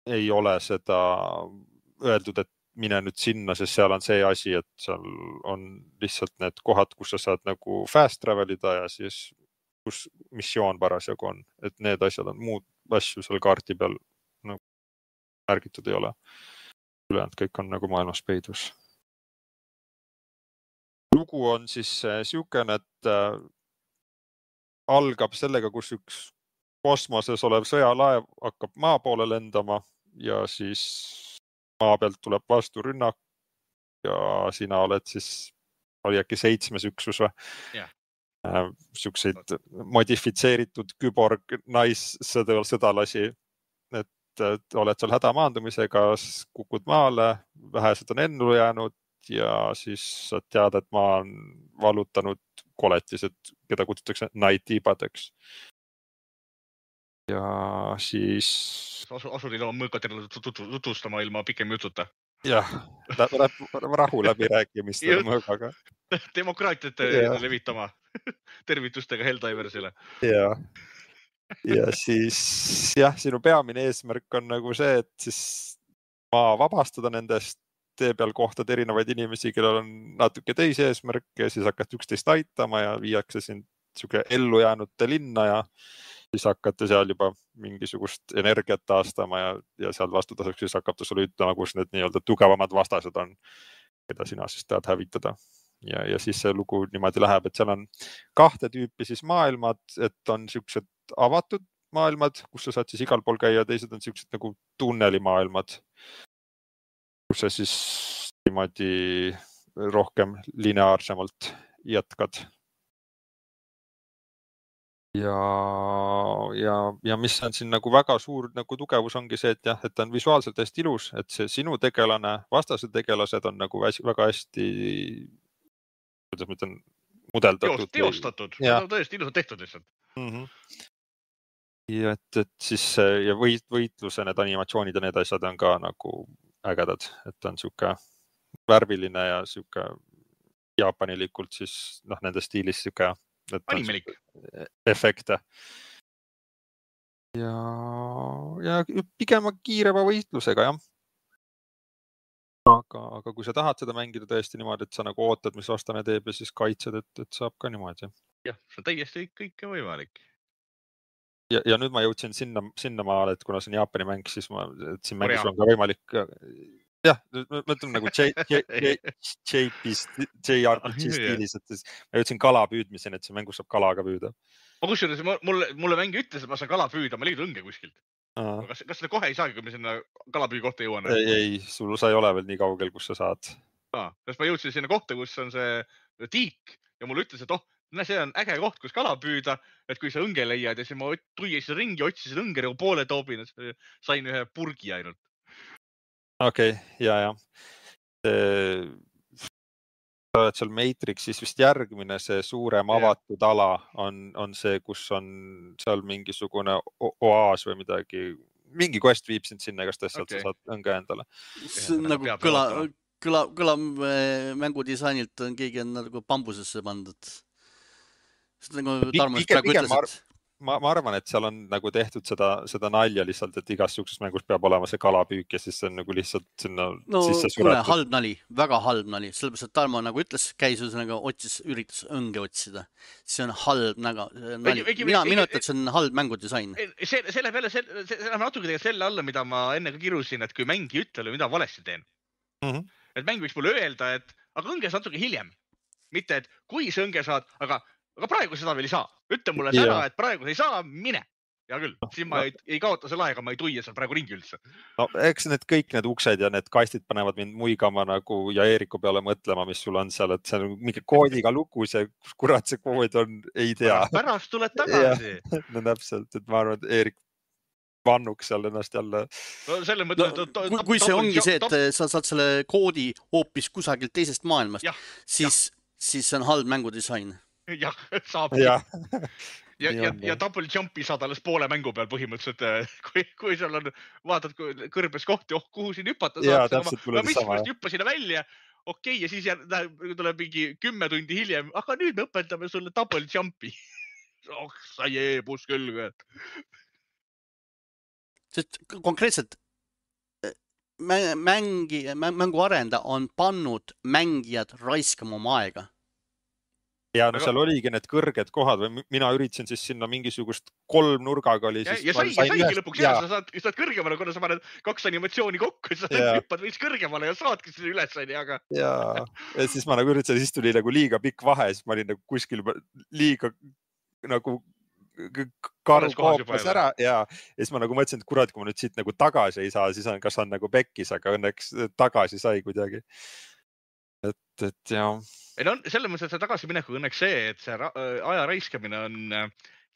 ei ole seda öeldud, et mine nüüd sinna, sest seal on see asi, et seal on lihtsalt need kohad, kus sa saad nagu fast travelida ja siis kus missioon parasjagu on, et need asjad on muud asju seal kaardi peal nagu märgitud ei ole. Ülejäänud kõik on nagu maailmas peidus. Lugu on siis siukene, et algab sellega, kus üks kosmoses olev sõjalaev hakkab maa poole lendama ja siis maa pealt tuleb vastu rünnak ja sina oled siis, oli äkki 7. üksus või? Siukseid modifitseeritud küborg naissõdalasi, et oled seal hädamaandumisega, kukud maale, vähesed on ennu jäänud ja siis sa tead, et maa on valutanud koletised, keda kutsutakse naitibadeks. Ja siis Asuril on mõõkatele tutvustama ilma pikem jututa. Jah, rahu läbirääkimistele mõõgaga. Demokraatiat levitama tervitustega Helldiversile. Ja siis sinu peamine eesmärk on nagu see, et siis maa vabastada nendest, tee peal kohtad erinevaid inimesi, kellel on natuke teisi eesmärke ja siis hakkad üksteist aitama ja viiakse sind siuke ellu jäänute linna ja siis hakkate seal juba mingisugust energiat taastama ja seal vastutasuks siis hakkab ta sulle ütlema, kus need nii-öelda tugevamad vastased on, keda sina siis tahad hävitada. Ja siis see lugu niimoodi läheb, et seal on 2 tüüpi siis maailmad, et on siuksed avatud maailmad, kus sa saad siis igal pool käia, teised on siuksed nagu tunnelimaailmad, kus sa siis niimoodi rohkem lineaarsemalt jätkad. Ja ja mis on siin nagu väga suur nagu tugevus ongi see, et jah, et ta on visuaalselt hästi ilus, et see sinu tegelane, vastase tegelased on nagu väga hästi, kuidas ma ütlen, mudeldatud. Teostatud, nad on tõesti ilusad tehtud lihtsalt. Ja et siis ja võitluse need animatsioonid ja need asjad on ka nagu ägedad, et on siuke värviline ja siuke jaapanilikult siis nende stiilis siuke animelik efekte. Ja pigem kiirema võitlusega, jah. Aga kui sa tahad seda mängida tõesti niimoodi, et sa nagu ootad, mis vastane teeb ja siis kaitsed, et saab ka niimoodi. Jah, see on täiesti kõike võimalik. Ja nüüd ma jõudsin sinna maale, et kuna see on Jaapani mäng, siis siin mängus on ka võimalik, jah, mõtleme nagu JRPG stiilis, et ma jõudsin kala püüdmiseni, et see mängus saab kala ka püüda. Kusjuures mulle mängi ütles, et ma saan kala püüda, ma liidun õnge kuskilt. Kas seda kohe ei saagi, kui me sinna kalapüü kohta jõuan? Ei, sa ei ole veel nii kaugel, kus sa saad. Sest ma jõudsin sinna kohta, kus on see tiik ja mulle ütles, et see on äge koht, kus kala püüda, et kui sa õnge leiad ja siis ma tuiasin ringi, otsisin õnge nagu poole toobin, sain ühe purgi ainult. Okei, ja. Sa oled seal Matrixis vist järgmine, see suurem avatud ala on see, kus on seal mingisugune oaas või midagi. Mingi quest viib sind sinna, kas sealt sa saad õnge endale. See on nagu kõla mängudisainilt on keegi nagu bambusesse pandud. See on nagu Tarmos praegu ütles, et ma arvan, et seal on nagu tehtud seda nalja lihtsalt, et igas siukses mängus peab olema see kalapüük ja siis see on nagu lihtsalt sinna sisse suretud. Halb nali, väga halb nali. Sellepärast, et Tarmo nagu ütles, käis üritas õnge otsida. See on halb nali. Mina ütlen, et see on halb mängudisain. Selle peale, see on natuke tegelikult selle alla, mida ma enne ka kirusin, et kui mäng ei ütle, mida valesti teen. Et mäng võiks mulle öelda, et aga õnge saad natuke hiljem. Mitte, et kui see õnge saad, aga praegu seda veel ei saa. Ütle mulle ära, et praegu ei saa, mine. Hea küll, siin ma ei kaota selle aega, ma ei tuia seal praegu ringi üldse. No eks kõik need uksed ja need kastid panevad mind muigama nagu ja Eeriku peale mõtlema, mis sul on seal, et see on mingi koodiga lugu, see kurat see kood on, ei tea. Pärast tuled tagasi. No täpselt, et ma arvan, et Eerik vannuks seal ennast jälle. No, kui see ongi see, et sa saad selle koodi hoopis kusagilt teisest maailmast, siis see on halb mängudisain. Jah, saab. Ja double jumpi saad alles poole mängu peal põhimõtteliselt, kui seal on, vaatad kõrbes kohti, kuhu siin hüpata saab. Mis hüppa sinna välja, okei, ja siis tuleb mingi 10 tundi hiljem, aga nüüd me õpetame sulle double jumpi. Sa jeebus küll. Sest konkreetselt mängu arenda on pannud mängijad raiskama oma aega. Ja no seal oligi need kõrged kohad või mina üritasin siis sinna mingisugust 3 nurgaga oli. Ja saigi lõpuks ja sa saad kõrgemale, kuna sa paned 2 animatsiooni kokku, sa hüppad veits kõrgemale ja saadki sinna üles. Ja siis ma nagu üritasin, siis tuli nagu liiga pikk vahe, siis ma olin nagu kuskil liiga nagu karu koopas ära ja siis ma nagu mõtlesin, et kurat, kui ma nüüd siit nagu tagasi ei saa, siis kas on nagu pekkis, aga õnneks tagasi sai kuidagi. Et jah. Ei no selles mõttes, et see tagasimineku õnneks see, et see aja raiskamine on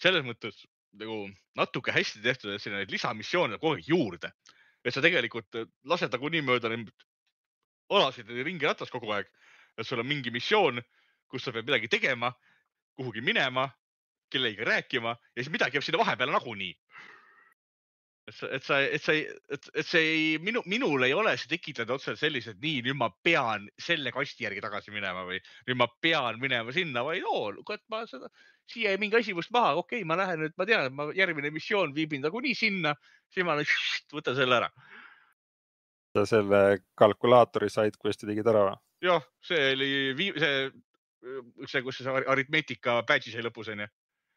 selles mõttes nagu natuke hästi tehtud, et selline lisamissioon kogu aeg juurde. Et sa tegelikult lased nagu nii mööda olasid ringi ratas kogu aeg, et sul on mingi missioon, kus sa pead midagi tegema, kuhugi minema, kellegagi rääkima ja siis midagi jääb sinna vahepeale nagunii. Minul ei ole see tekitada otseselt sellised, nii nüüd ma pean selle kasti järgi tagasi minema või nüüd ma pean minema sinna või et ma siia ei mingi asi must maha, okei, ma lähen nüüd, ma tean, et järgmine missioon viibin nagu nii sinna, siis ma võtan selle ära. Sa selle kalkulaatori said, kui hästi tegid ära? Jah, see oli see, kus see aritmeetika badge'i sai lõpus, on ju.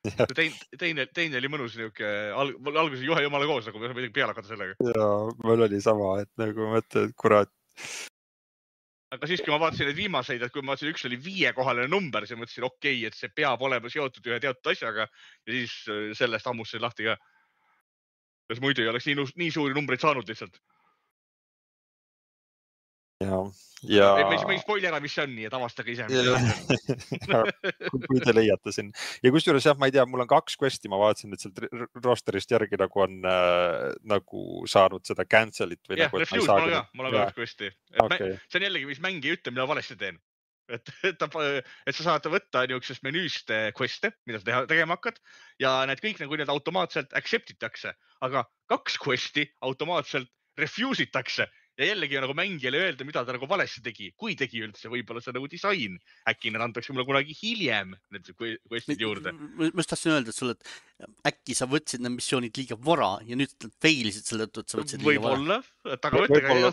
Teine oli mõnus niuke, alguses juhe jumala koos, nagu midagi peale hakata sellega. Ja, mul oli sama, et nagu mõtled, et kurat. Aga siis, kui ma vaatasin neid viimaseid, et kui ma vaatasin, üks oli 5-kohaline number, siis mõtlesin, okei, et see peab olema seotud ühe teatud asjaga ja siis sellest ammustasin lahti ka. Kas muidu ei oleks nii suuri numbreid saanud lihtsalt? ja me ei spoili ära, mis see on, nii et avastage ise, mis see on. kui te leiate siin. Ja kusjuures jah, ma ei tea, mul on 2 quest'i, ma vaatasin, et sealt rosterist järgi nagu on nagu saanud seda cancel'it või jah, nagu, refuse, mul on ka 2 quest'i. Okay. See on jällegi, mis mäng ei ütle, mida valesti teen. Et sa saad võtta niisugusest menüüst quest'e, mida sa tegema hakkad ja need kõik nagu need automaatselt accept itakse, aga 2 quest'i automaatselt refuse itakse ja jällegi nagu mängijale öelda, mida ta nagu valesti tegi, kui tegi üldse, võib-olla see nagu disain. Äkki need antakse mulle kunagi hiljem need quest'id juurde. Ma just tahtsin öelda, et sulle, et äkki sa võtsid need missioonid liiga vara ja nüüd failisid selle tõttu, et sa võtsid liiga vara.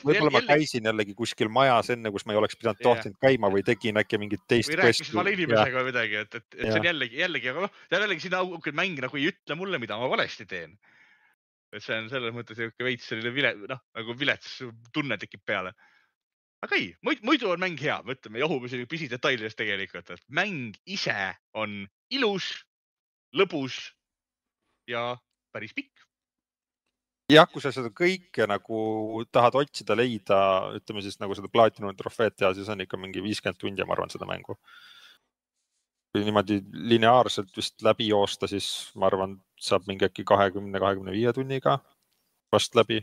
Võib-olla ma käisin jällegi kuskil majas enne, kus ma ei oleks pidanud tohtinud käima või tegin äkki mingit teist või rääkisin vale inimesega või midagi, et see on jällegi, aga jällegi siin mäng nagu ei ütle mulle, mida ma valesti teen. Et see on selles mõttes veits selline nagu vilets tunne tekib peale. Aga ei, muidu on mäng hea, mõtleme, jahume selline pisidetailidest tegelikult, et mäng ise on ilus, lõbus ja päris pikk. Jah, kui sa seda kõike nagu tahad otsida, leida, ütleme siis nagu seda platinum trofeed teha, siis on ikka mingi 50 tundi, ma arvan, seda mängu. Kui niimoodi lineaarselt vist läbi joosta, siis ma arvan, saab mingi äkki 20-25 tunniga vast läbi.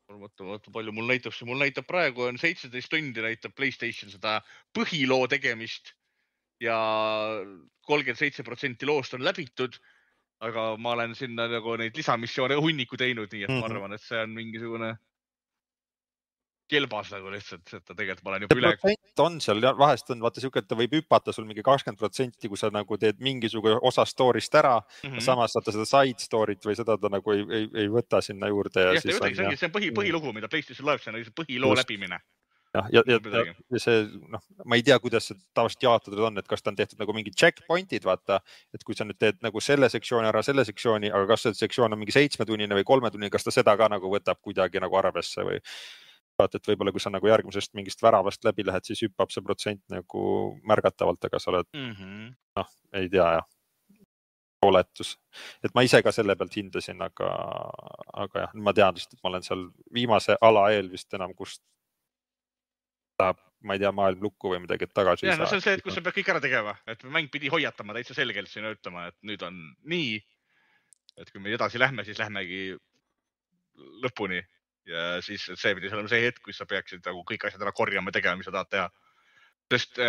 Vaata, palju mul näitab praegu on 17 tundi näitab PlayStation seda põhiloo tegemist ja 37% loost on läbitud, aga ma olen sinna nagu neid lisamissioone hunniku teinud, nii et ma arvan, et see on mingisugune kelbas nagu lihtsalt, et ta tegelikult ma olen juba üle. Protsent on seal, vahest on, vaata siuke, et ta võib hüpata sul mingi 20%, kui sa nagu teed mingisugune osa story'st ära, samas saata seda side story't või seda ta nagu ei võta sinna juurde. Ja siis see on põhilugu, mida PlayStation Live, see on põhiloo läbimine. Ja see, ma ei tea, kuidas see tavaliselt jaotatud on, et kas ta on tehtud nagu mingi checkpointid, vaata, et kui sa nüüd teed nagu selle sektsiooni ära, selle sektsiooni, aga kas see sektsioon on mingi 7-tunnine või 3-tunnine, kas ta seda ka nagu võtab kuidagi nagu arvesse või vaata, et võib-olla kui sa nagu järgmisest mingist väravast läbi lähed, siis hüppab see protsent nagu märgatavalt, aga sa oled, ei tea jah, oletus. Et ma ise ka selle pealt hindasin, aga jah, ma tean lihtsalt, et ma olen seal viimase ala eel vist enam, kus tahab, ma ei tea, maailm lukku või midagi, et tagasi ei saa. No see on see, et kus sa pead kõik ära tegema, et mäng pidi hoiatama täitsa selgelt sinna ütlema, et nüüd on nii, et kui me edasi lähme, siis lähmegi lõpuni. Ja siis see pidi olema see hetk, kus sa peaksid nagu kõik asjad ära korjama ja tegema, mis sa tahad teha. Sest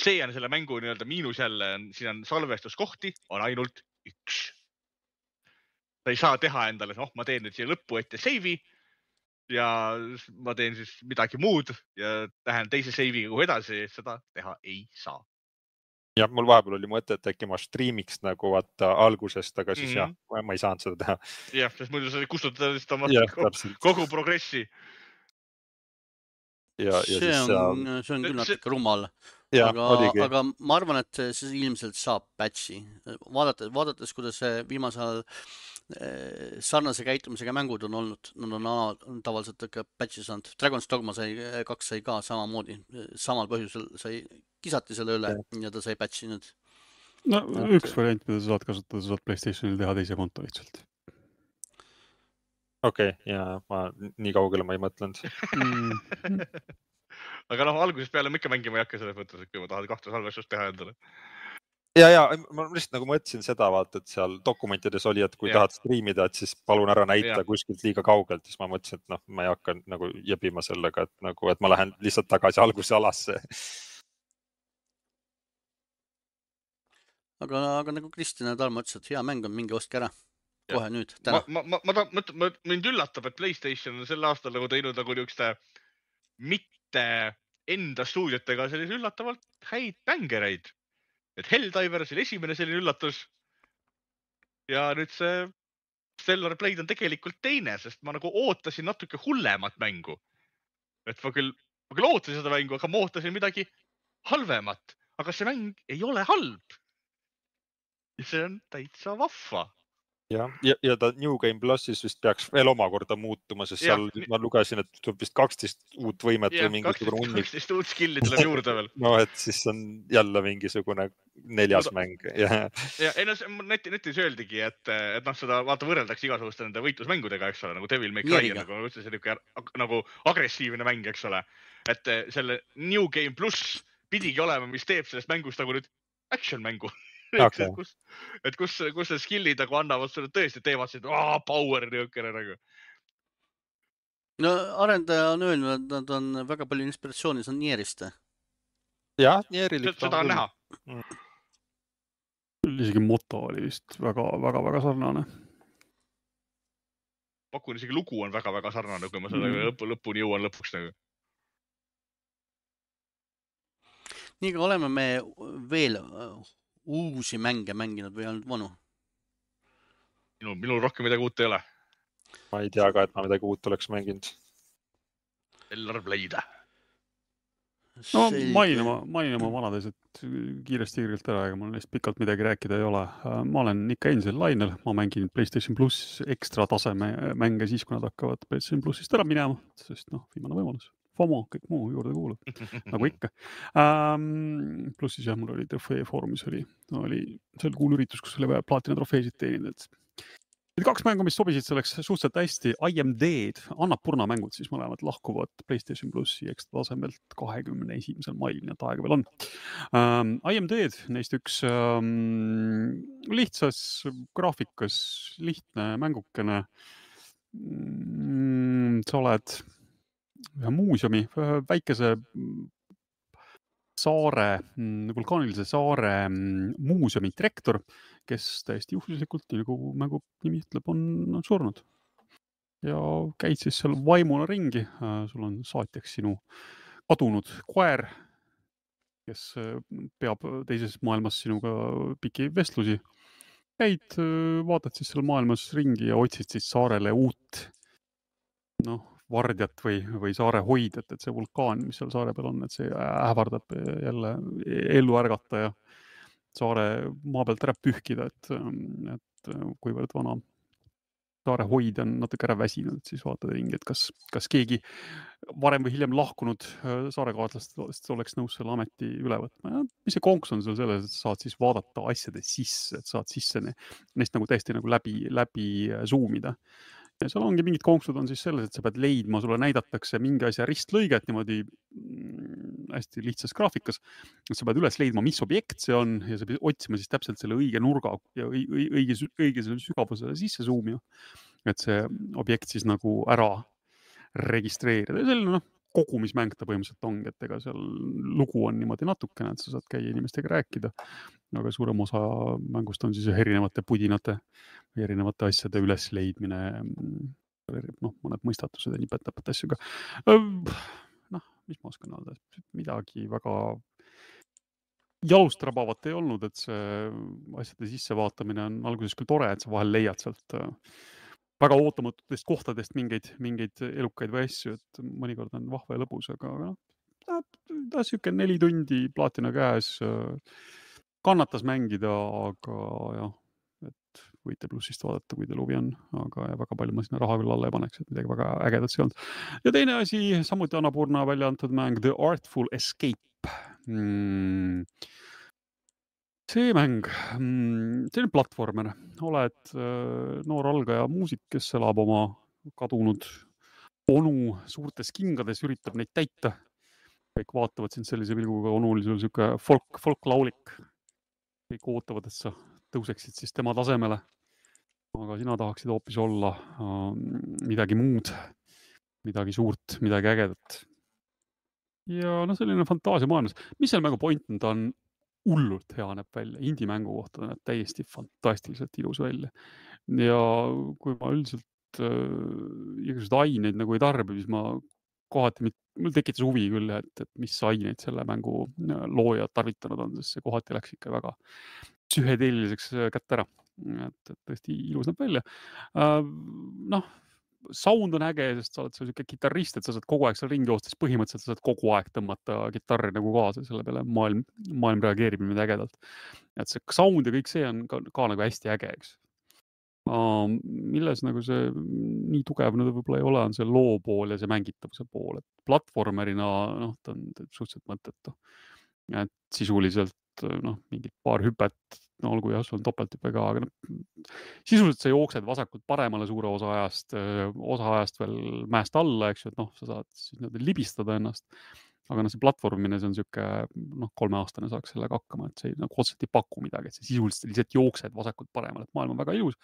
see on selle mängu nii-öelda miinus jälle, siin on salvestuskohti, on ainult 1. Ta ei saa teha endale, ma teen nüüd siia lõppu ette save'i ja ma teen siis midagi muud ja lähen teise save'iga kuhu edasi, seda teha ei saa. Ja mul vahepeal oli mõte, et äkki ma streamiks nagu vaata algusest, aga siis jah, ma ei saanud seda teha. Jah, sest muidu sa kustutad kogu progressi. See on küll natuke rumal. Aga ma arvan, et see ilmselt saab patchi. Vaadates, kuidas viimasel sarnase käitumisega mängud on olnud, nad on tavaliselt ikka patchi saanud. Dragon's Dogma 2 sai ka samamoodi, samal põhjusel sai kisati selle üle ja ta sai patchi nüüd. No üks variant, mida sa saad kasutada, sa saad PlayStationil teha teise konto lihtsalt. Okei, ja ma nii kaugele ma ei mõtlenud. Aga algusest peale ma ikka mängima ei hakka selles mõttes, et kui ma tahan 2 salvestust teha endale. Ja ma lihtsalt nagu mõtlesin seda, vaata, et seal dokumentides oli, et kui tahad streamida, et siis palun ära näita kuskilt liiga kaugelt, siis ma mõtlesin, et ma ei hakka nagu jebima sellega, et ma lähen lihtsalt tagasi alguse alasse. Aga nagu Kristjan ja Tarmo ütles, et hea mäng on, mingi ostke ära. Kohe nüüd, täna. Mind üllatab, et PlayStation on sel aastal nagu teinud nagu niisuguste mitte enda stuudiotega sellise üllatavalt häid bängereid. Et Helldivers oli esimene selline üllatus ja nüüd see Stellar Blade on tegelikult teine, sest ma nagu ootasin natuke hullemat mängu. Et ma küll ootasin seda mängu, aga ma ootasin midagi halvemat, aga see mäng ei ole halb. Ja see on täitsa vahva. ja ta New Game Plussis vist peaks veel omakorda muutuma, sest seal ma lugesin, et tuleb vist 12 uut võimet või mingisugune hunnik. 12 uut skill'i tuleb juurde veel. No, et siis on jälle mingisugune 4. mäng. Ja netis öeldigi, et seda vaata võrreldakse igasuguste nende võitlusmängudega, eks ole, nagu Devil May Cry, nagu agressiivne mäng, eks ole. Et selle New Game Plus pidigi olema, mis teeb sellest mängust nagu nüüd action mängu. Okay. kus need skill'id nagu annavad sulle tõesti, teevad seda power niukene nagu. No arendaja on öelnud, et nad on väga palju inspiratsiooni, see on Nierist. Jah, Nierilik. Seda on näha. Isegi moto oli vist väga sarnane. Pakun isegi lugu on väga sarnane, kui ma selle lõpuni jõuan lõpuks nagu. Nii ka oleme me veel uusi mänge mänginud või ainult vanu? Minul rohkem midagi uut ei ole. Ma ei tea ka, et ma midagi uut oleks mänginud. Stellar Blade. No mainin oma vanades, et kiiresti ära, aga mul neist pikalt midagi rääkida ei ole. Ma olen ikka endiselt lainel, ma mängin PlayStation Plus ekstra taseme mänge siis, kui nad hakkavad PlayStation Plusist ära minema, sest viimane võimalus. FOMO, kõik muu juurde kuulub, nagu ikka. Pluss siis mul oli trofee foorumis oli kuul üritus, kus oli vaja plaatina trofeesid teenida. 2 mängu, mis sobisid selleks suhteliselt hästi. I Am Dead, Annapurna mängud siis mõlemad lahkuvad PlayStation Plussi ekstra tasemelt 21. mail, nii et aega veel on. I Am Dead, neist üks lihtsas graafikas, lihtne mängukene. Sa oled ühe muuseumi, väikese vulkaanilise saare muuseumi direktor, kes täiesti juhuslikult, nagu mängu nimi ütleb, on surnud. Ja käid siis seal vaimuna ringi, sul on saatjaks sinu kadunud koer, kes peab teises maailmas sinuga pikki vestlusi. Käid, vaatad siis seal maailmas ringi ja otsid siis saarele uut vardjat või saare hoidjat, et see vulkaan, mis seal saare peal on, et see ähvardab jälle ellu ärgata ja saare maa pealt ära pühkida, et kuivõrd vana saare hoidja on natuke ära väsinud, et siis vaatad ringi, et kas keegi varem või hiljem lahkunud saarekaaslastest oleks nõus selle ameti üle võtma. Mis see konks on seal selles, et saad siis vaadata asjade sisse, et saad sisse neist nagu täiesti nagu läbi zoomida. Ja seal ongi mingid konksud on siis selles, et sa pead leidma, sulle näidatakse mingi asja ristlõiget niimoodi hästi lihtsas graafikas. Et sa pead üles leidma, mis objekt see on ja sa pead otsima siis täpselt selle õige nurga ja õige selle sügavusele sisse zoomima. Et see objekt siis nagu ära registreerida. Ja selline kogumismäng ta põhimõtteliselt ongi, et ega seal lugu on niimoodi natukene, et sa saad käia inimestega rääkida. Aga suurem osa mängust on siis erinevate pudinate või erinevate asjade ülesleidmine, mõned mõistatused ja nipet-täpet asju ka. Mis ma oskan öelda? Midagi väga jalust rabavat ei olnud, et see asjade sissevaatamine on alguses küll tore, et sa vahel leiad sealt väga ootamatutest kohtadest mingeid elukaid või asju, et mõnikord on vahva ja lõbus, aga ta siuke 4 tundi plaatina käes kannatas mängida, aga jah, et võite Plussist vaadata, kui teil huvi on, aga väga palju ma sinna raha küll alla ei paneks, et midagi väga ägedat see olnud. Ja teine asi, samuti Annapurna välja antud mäng The Artful Escape. See mäng, see on platvormer, oled noor algaja muusik, kes elab oma kadunud onu suurtes kingades, üritab neid täita. Kõik vaatavad sind sellise pilguga, onu oli sul siuke folklaulik. Kõik ootavad, et sa tõuseksid siis tema tasemele. Aga sina tahaksid hoopis olla midagi muud, midagi suurt, midagi ägedat. Ja selline fantaasia maailmas. Mis selle mängu point on, ta on hullult hea näeb välja. Indie-mängu kohta näeb täiesti fantastiliselt ilus välja. Ja kui ma üldiselt igasugused aineid nagu ei tarbi, siis ma kohati, mul tekitas huvi küll, et mis aineid selle mängu loojad tarvitanud on, sest see kohati läks ikka väga psühhedeeliliseks kätte ära. Et tõesti ilus näeb välja. Sound on äge, sest sa oled selline kitarrist, et sa saad kogu aeg seal ringi joostes, põhimõtteliselt sa saad kogu aeg tõmmata kitarri nagu kaasa, selle peale maailm reageerib niimoodi ägedalt. Et see sound ja kõik see on ka nagu hästi äge, eks. milles nagu see nii tugev nüüd võib-olla ei ole, on see loo pool ja see mängitavuse pool, et platvormerina ta on suhteliselt mõttetu. Et sisuliselt mingid paar hüpet, olgu jah, sul on topelthüpe ka, aga sisuliselt sa jooksed vasakult paremale suure osa ajast veel mäest alla, eks ju, et sa saad siis libistada ennast. Aga see platvormine, see on siuke 3-aastane saaks sellega hakkama, et see otseselt ei paku midagi, et see sisuliselt lihtsalt jooksed vasakult paremale, et maailm on väga ilus,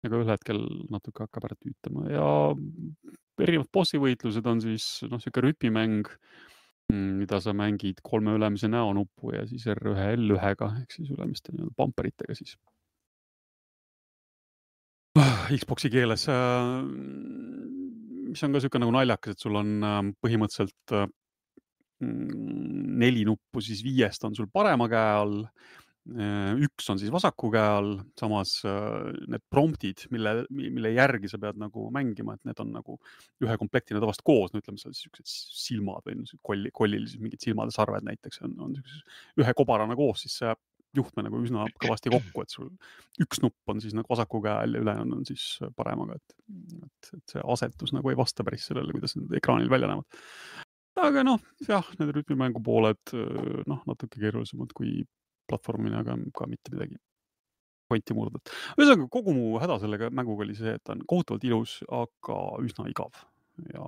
aga ühel hetkel natuke hakkab ära tüütama ja erinevad bossivõitlused on siis siuke rütmimäng, mida sa mängid 3 ülemise näonuppu ja siis R1, L1-ga ehk siis ülemiste bumperitega siis. Xboxi keeles, mis on ka siuke nagu naljakas, et sul on põhimõtteliselt 4 nuppu, siis 5 on sul parema käe all, 1 on siis vasaku käe all, samas need promptid, mille järgi sa pead nagu mängima, et need on nagu ühe komplektina tavast koos, ütleme seal siuksed silmad või kollil siis mingid silmade sarved näiteks on ühe kobarana koos, siis see juhtme nagu üsna kõvasti kokku, et sul 1 nupp on siis nagu vasaku käe all ja ülejäänud on siis paremaga, et see asetus nagu ei vasta päris sellele, kuidas need ekraanil välja näevad. Aga jah, need rütmimängu pooled natuke keerulisemad kui platvormina, aga ka mitte midagi pointi murdad. Ühesõnaga, kogu mu häda sellega mänguga oli see, et ta on kohutavalt ilus, aga üsna igav. Ja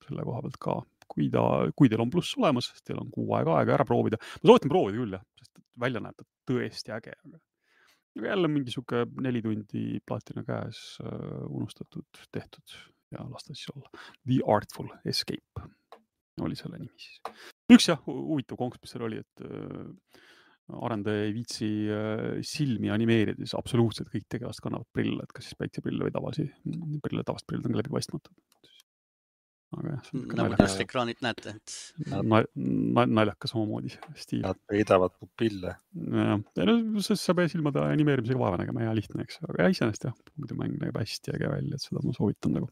selle koha pealt ka, kui teil on pluss olemas, sest teil on 6 aega ära proovida. Ma soovitan proovida küll, jah, sest välja näeb ta tõesti äge. Aga jälle mingi siuke 4 tundi plaatina käes unustatud, tehtud ja lasta siis olla. The Artful Escape oli selle nimi siis. Üks jah, huvitav konks, mis seal oli, et arendaja ei viitsi silmi animeerida, siis absoluutselt kõik tegelast kannavad prille, et kas siis päikseprille või tavast prillid on ka läbipaistmatud. Aga jah, nagu te ekraanid näete. Naljakas omamoodi stiil. Nad peidavad pupille. Sest sa pead silmade animeerimisega vaeva nägema, hea lihtne, eks. Aga jah, muidu mäng näeb hästi äge välja, et seda ma soovitan nagu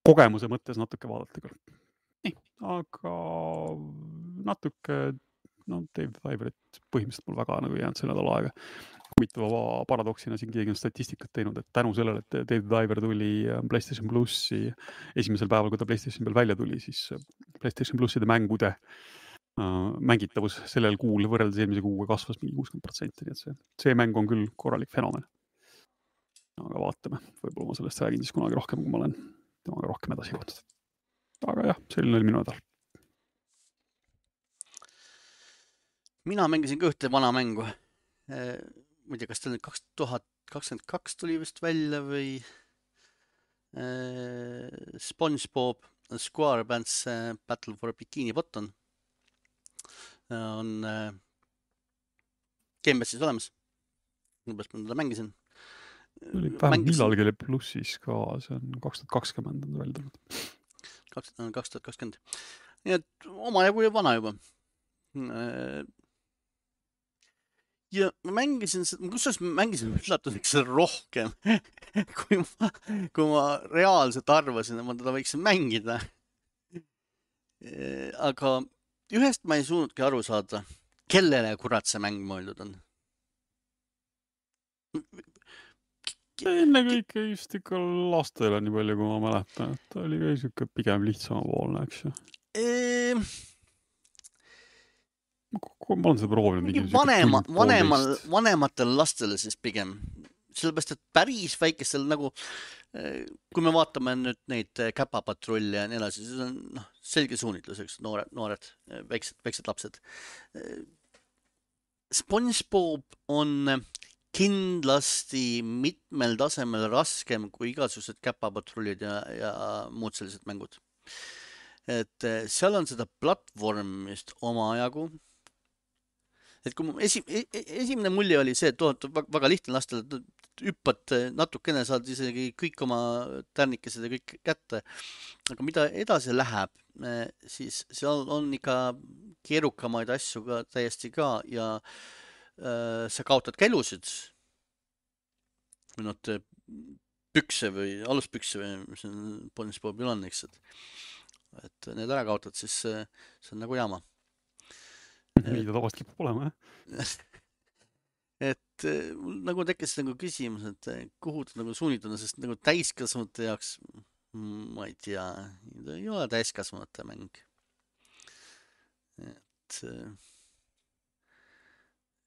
kogemuse mõttes natuke vaadata küll. Nii, aga natuke Dave Diverit põhimõtteliselt mul väga nagu jäänud see nädal aega. Huvitava paradoksina siin keegi on statistikat teinud, et tänu sellele, et Dave Diver tuli PlayStation Plussi esimesel päeval, kui ta PlayStation peal välja tuli, siis PlayStation Plusside mängude mängitavus sellel kuul võrreldes eelmise kuuga kasvas mingi 60%, nii et see mäng on küll korralik fenomen. Aga vaatame, võib-olla ma sellest räägin siis kunagi rohkem, kui ma olen temaga rohkem edasi jõudnud. Aga jah, selline oli minu nädal. Mina mängisin ka ühte vana mängu. Ma ei tea, kas ta 2022 tuli vist välja või SpongeBob SquarePants Battle for Bikini Bottom on Gamepassis olemas. Umbes ma teda mängisin. Vähemalt millalgi oli plussis ka, see on 2020 on välja tulnud. 2020. Nii et oma jagu vana juba. Ja ma mängisin üllatuseks rohkem, kui ma reaalselt arvasin, et ma teda võiksin mängida. Aga ühest ma ei suudnudki aru saada, kellele kurat see mäng mõeldud on. Enne kõike just ikka lastele nii palju, kui ma mäletan, et ta oli ka siuke pigem lihtsamapoolne, eks ju. Ma olen seda proovinud. Vanematel lastele siis pigem. Sellepärast, et päris väikestel nagu, kui me vaatame nüüd neid käpapatrulle ja nii edasi, siis on selge suunitlus, eks, noored, väiksed lapsed. SpongeBob on kindlasti mitmel tasemel raskem kui igasugused käpapatrullid ja muud sellised mängud. Et seal on seda platvormist oma jagu. Et kui esimene mulje oli see, et väga lihtne lastele, hüppad natukene, saad isegi kõik oma tärnikesed ja kõik kätte. Aga mida edasi läheb, siis seal on ikka keerukamaid asju ka täiesti ka ja sa kaotad ka elusid. Või pükse või aluspükse või mis on SpongeBobil on, eks. Et need ära kaotad, siis see on nagu jama. Nii ta tavast kipub olema, jah? Et et nagu tekkis nagu küsimus, et kuhu ta nagu suunitud on, sest nagu täiskasvanute jaoks, ma ei tea, ei ole täiskasvanute mäng. Et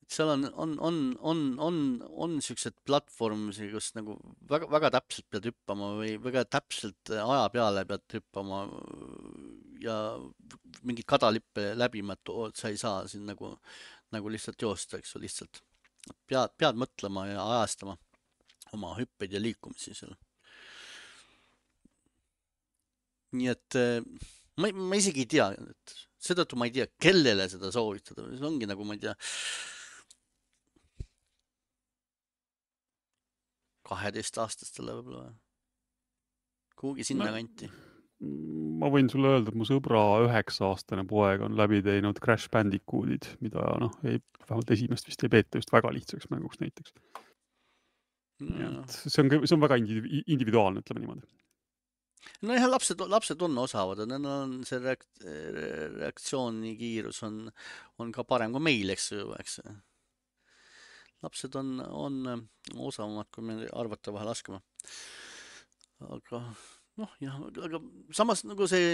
seal on siuksed platvormisi, kus nagu väga täpselt pead hüppama või väga täpselt aja peale pead hüppama ja mingid kadalippe läbima, et sa ei saa siin nagu lihtsalt joosta, eks ju, lihtsalt pead mõtlema ja ajastama oma hüppeid ja liikumisi seal. Nii et ma isegi ei tea, et seetõttu ma ei tea, kellele seda soovitada, see ongi nagu, ma ei tea, 12-aastastele võib-olla kuhugi sinna kanti. Ma võin sulle öelda, et mu sõbra 9-aastane poeg on läbi teinud Crash Bandicootid, mida vähemalt esimest vist ei peeta just väga lihtsaks mänguks näiteks. See on väga individuaalne, ütleme niimoodi. No jah, lapsed on osavad, on see reaktsiooni kiirus on ka parem kui meil, eks ju, eks. Lapsed on osavamad, kui me arvata vahel laskema. Aga noh, jah, aga samas nagu see,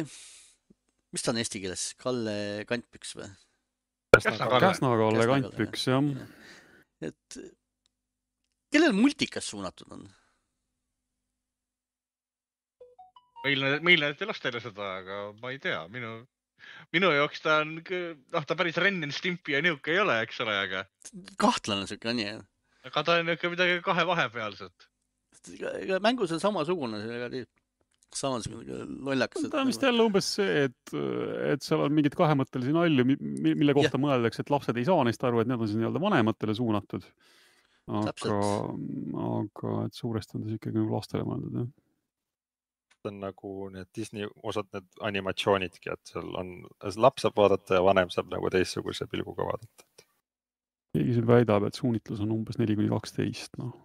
mis ta on eesti keeles? Kalle Kantpüks või? Käsna-Kalle Kantpüks, jah. Et kellel multikas suunatud on? Meil näete lastele seda, aga ma ei tea. Minu jaoks ta on, ta päris Ren and Stimpy ja niuke ei ole, eks ole, aga... Kahtlane siuke on, jah. Aga ta on niuke midagi kahe vahepealset. Mängus on samasugune, samasugune lollakas. Ta on vist jälle umbes see, et seal on mingid kahemõttelisi nalju, mille kohta mõeldakse, et lapsed ei saa neist aru, et need on siis nii-öelda vanematele suunatud. Aga et suuresti on ta ikkagi nagu lastele mõeldud, jah. On nagu need Disney osad need animatsioonidki, et seal on laps saab vaadata ja vanem saab nagu teistsuguse pilguga vaadata. Keegi siin väidab, et suunitlus on umbes 4-12, noh,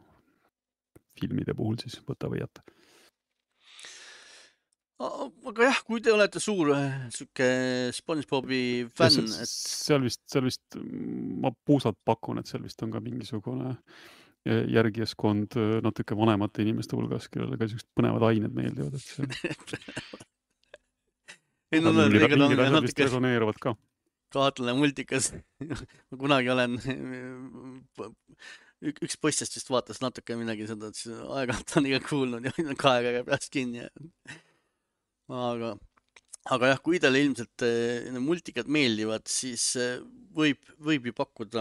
filmide puhul siis võta või jätta. Aga jah, kui te olete suur suke SpongeBobi fänn, et... Seal vist, ma puusalt pakun, et seal vist on ka mingisugune järgijaskond natuke vanemate inimeste hulgas, kellele ka sellised põnevad ained meeldivad, et see... Mingid asjad vist resoneeruvad ka. Kahtlane multikas. Ma kunagi olen... Üks poistest vist vaatas natuke midagi seda, et aeg-ajalt on iga kuulnud ja kaega peast kinni. Aga jah, kui teile ilmselt multikad meeldivad, siis võib ju pakkuda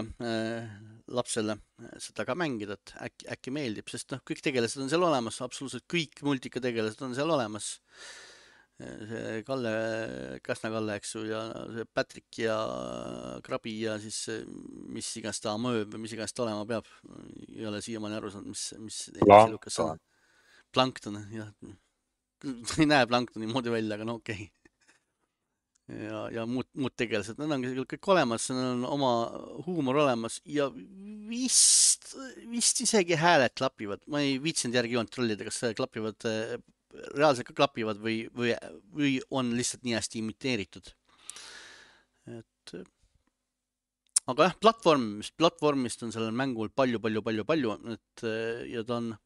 lapsele seda ka mängida, et äkki meeldib, sest kõik tegelased on seal olemas, absoluutselt kõik multika tegelased on seal olemas. See Käsna-Kalle, eks ju, ja see Patrick ja Krabi ja siis mis iganes ta mööb või mis iganes ta olema peab. Ei ole siiamaani aru saanud, mis Plankton, jah. Ei näe Planktoni moodi välja, aga no okei. Ja muud tegelased, need on kõik olemas, on oma huumor olemas ja vist isegi hääled klapivad. Ma ei viitsinud järgi joont trollida, kas klapivad, reaalselt ka klapivad või on lihtsalt nii hästi imiteeritud. Aga jah, platvormist on sellel mängul palju, ja ta on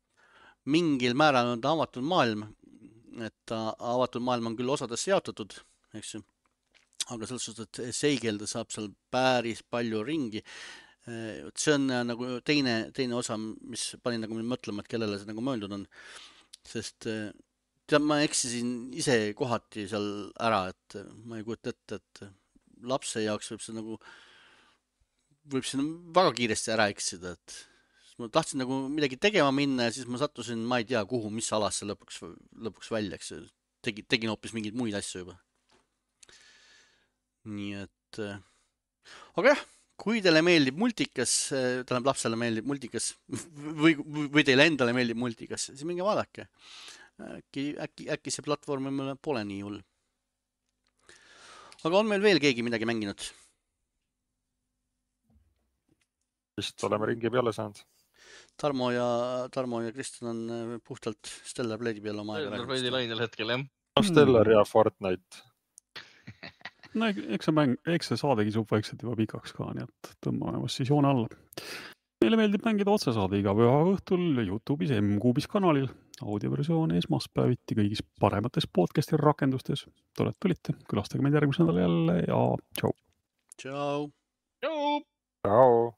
mingil määral on ta avatud maailm, et avatud maailm on küll osadesse jaotatud, eks ju. Aga selles suhtes, et seigelda saab seal päris palju ringi. See on nagu teine osa, mis panin nagu mõtlema, et kellele see nagu mõeldud on. Sest ma eksisin ise kohati seal ära, et ma ei kujuta ette, et lapse jaoks võib see väga kiiresti ära eksida, et ma tahtsin nagu midagi tegema minna ja siis ma sattusin, ma ei tea kuhu, mis alasse lõpuks välja, eks tegin hoopis mingeid muid asju juba. Nii et, aga jah, kui teile meeldib multikas, tähendab lapsele meeldib multikas või teile endale meeldib multikas, siis minge vaadake. Äkki see platvorm pole nii hull. Aga on meil veel keegi midagi mänginud? Vist oleme ringi peale saanud. Tarmo ja Kristjan on puhtalt Stellar Blade'i peale oma aega. Stellar Blade'i lainel hetkel, jah. Stellar ja Fortnite. No eks see saadegi suub vaikselt juba pikaks ka, nii et tõmbame vast siis joone alla. Meile meeldib mängida otsesaade iga püha õhtul YouTube'is M-Kuubis kanalil, audioversioon esmaspäeviti kõigis paremates podcasti rakendustes. Tore, et tulite, külastage meid järgmisel nädalal jälle ja tšau. Tšau. Tšau. Tšau.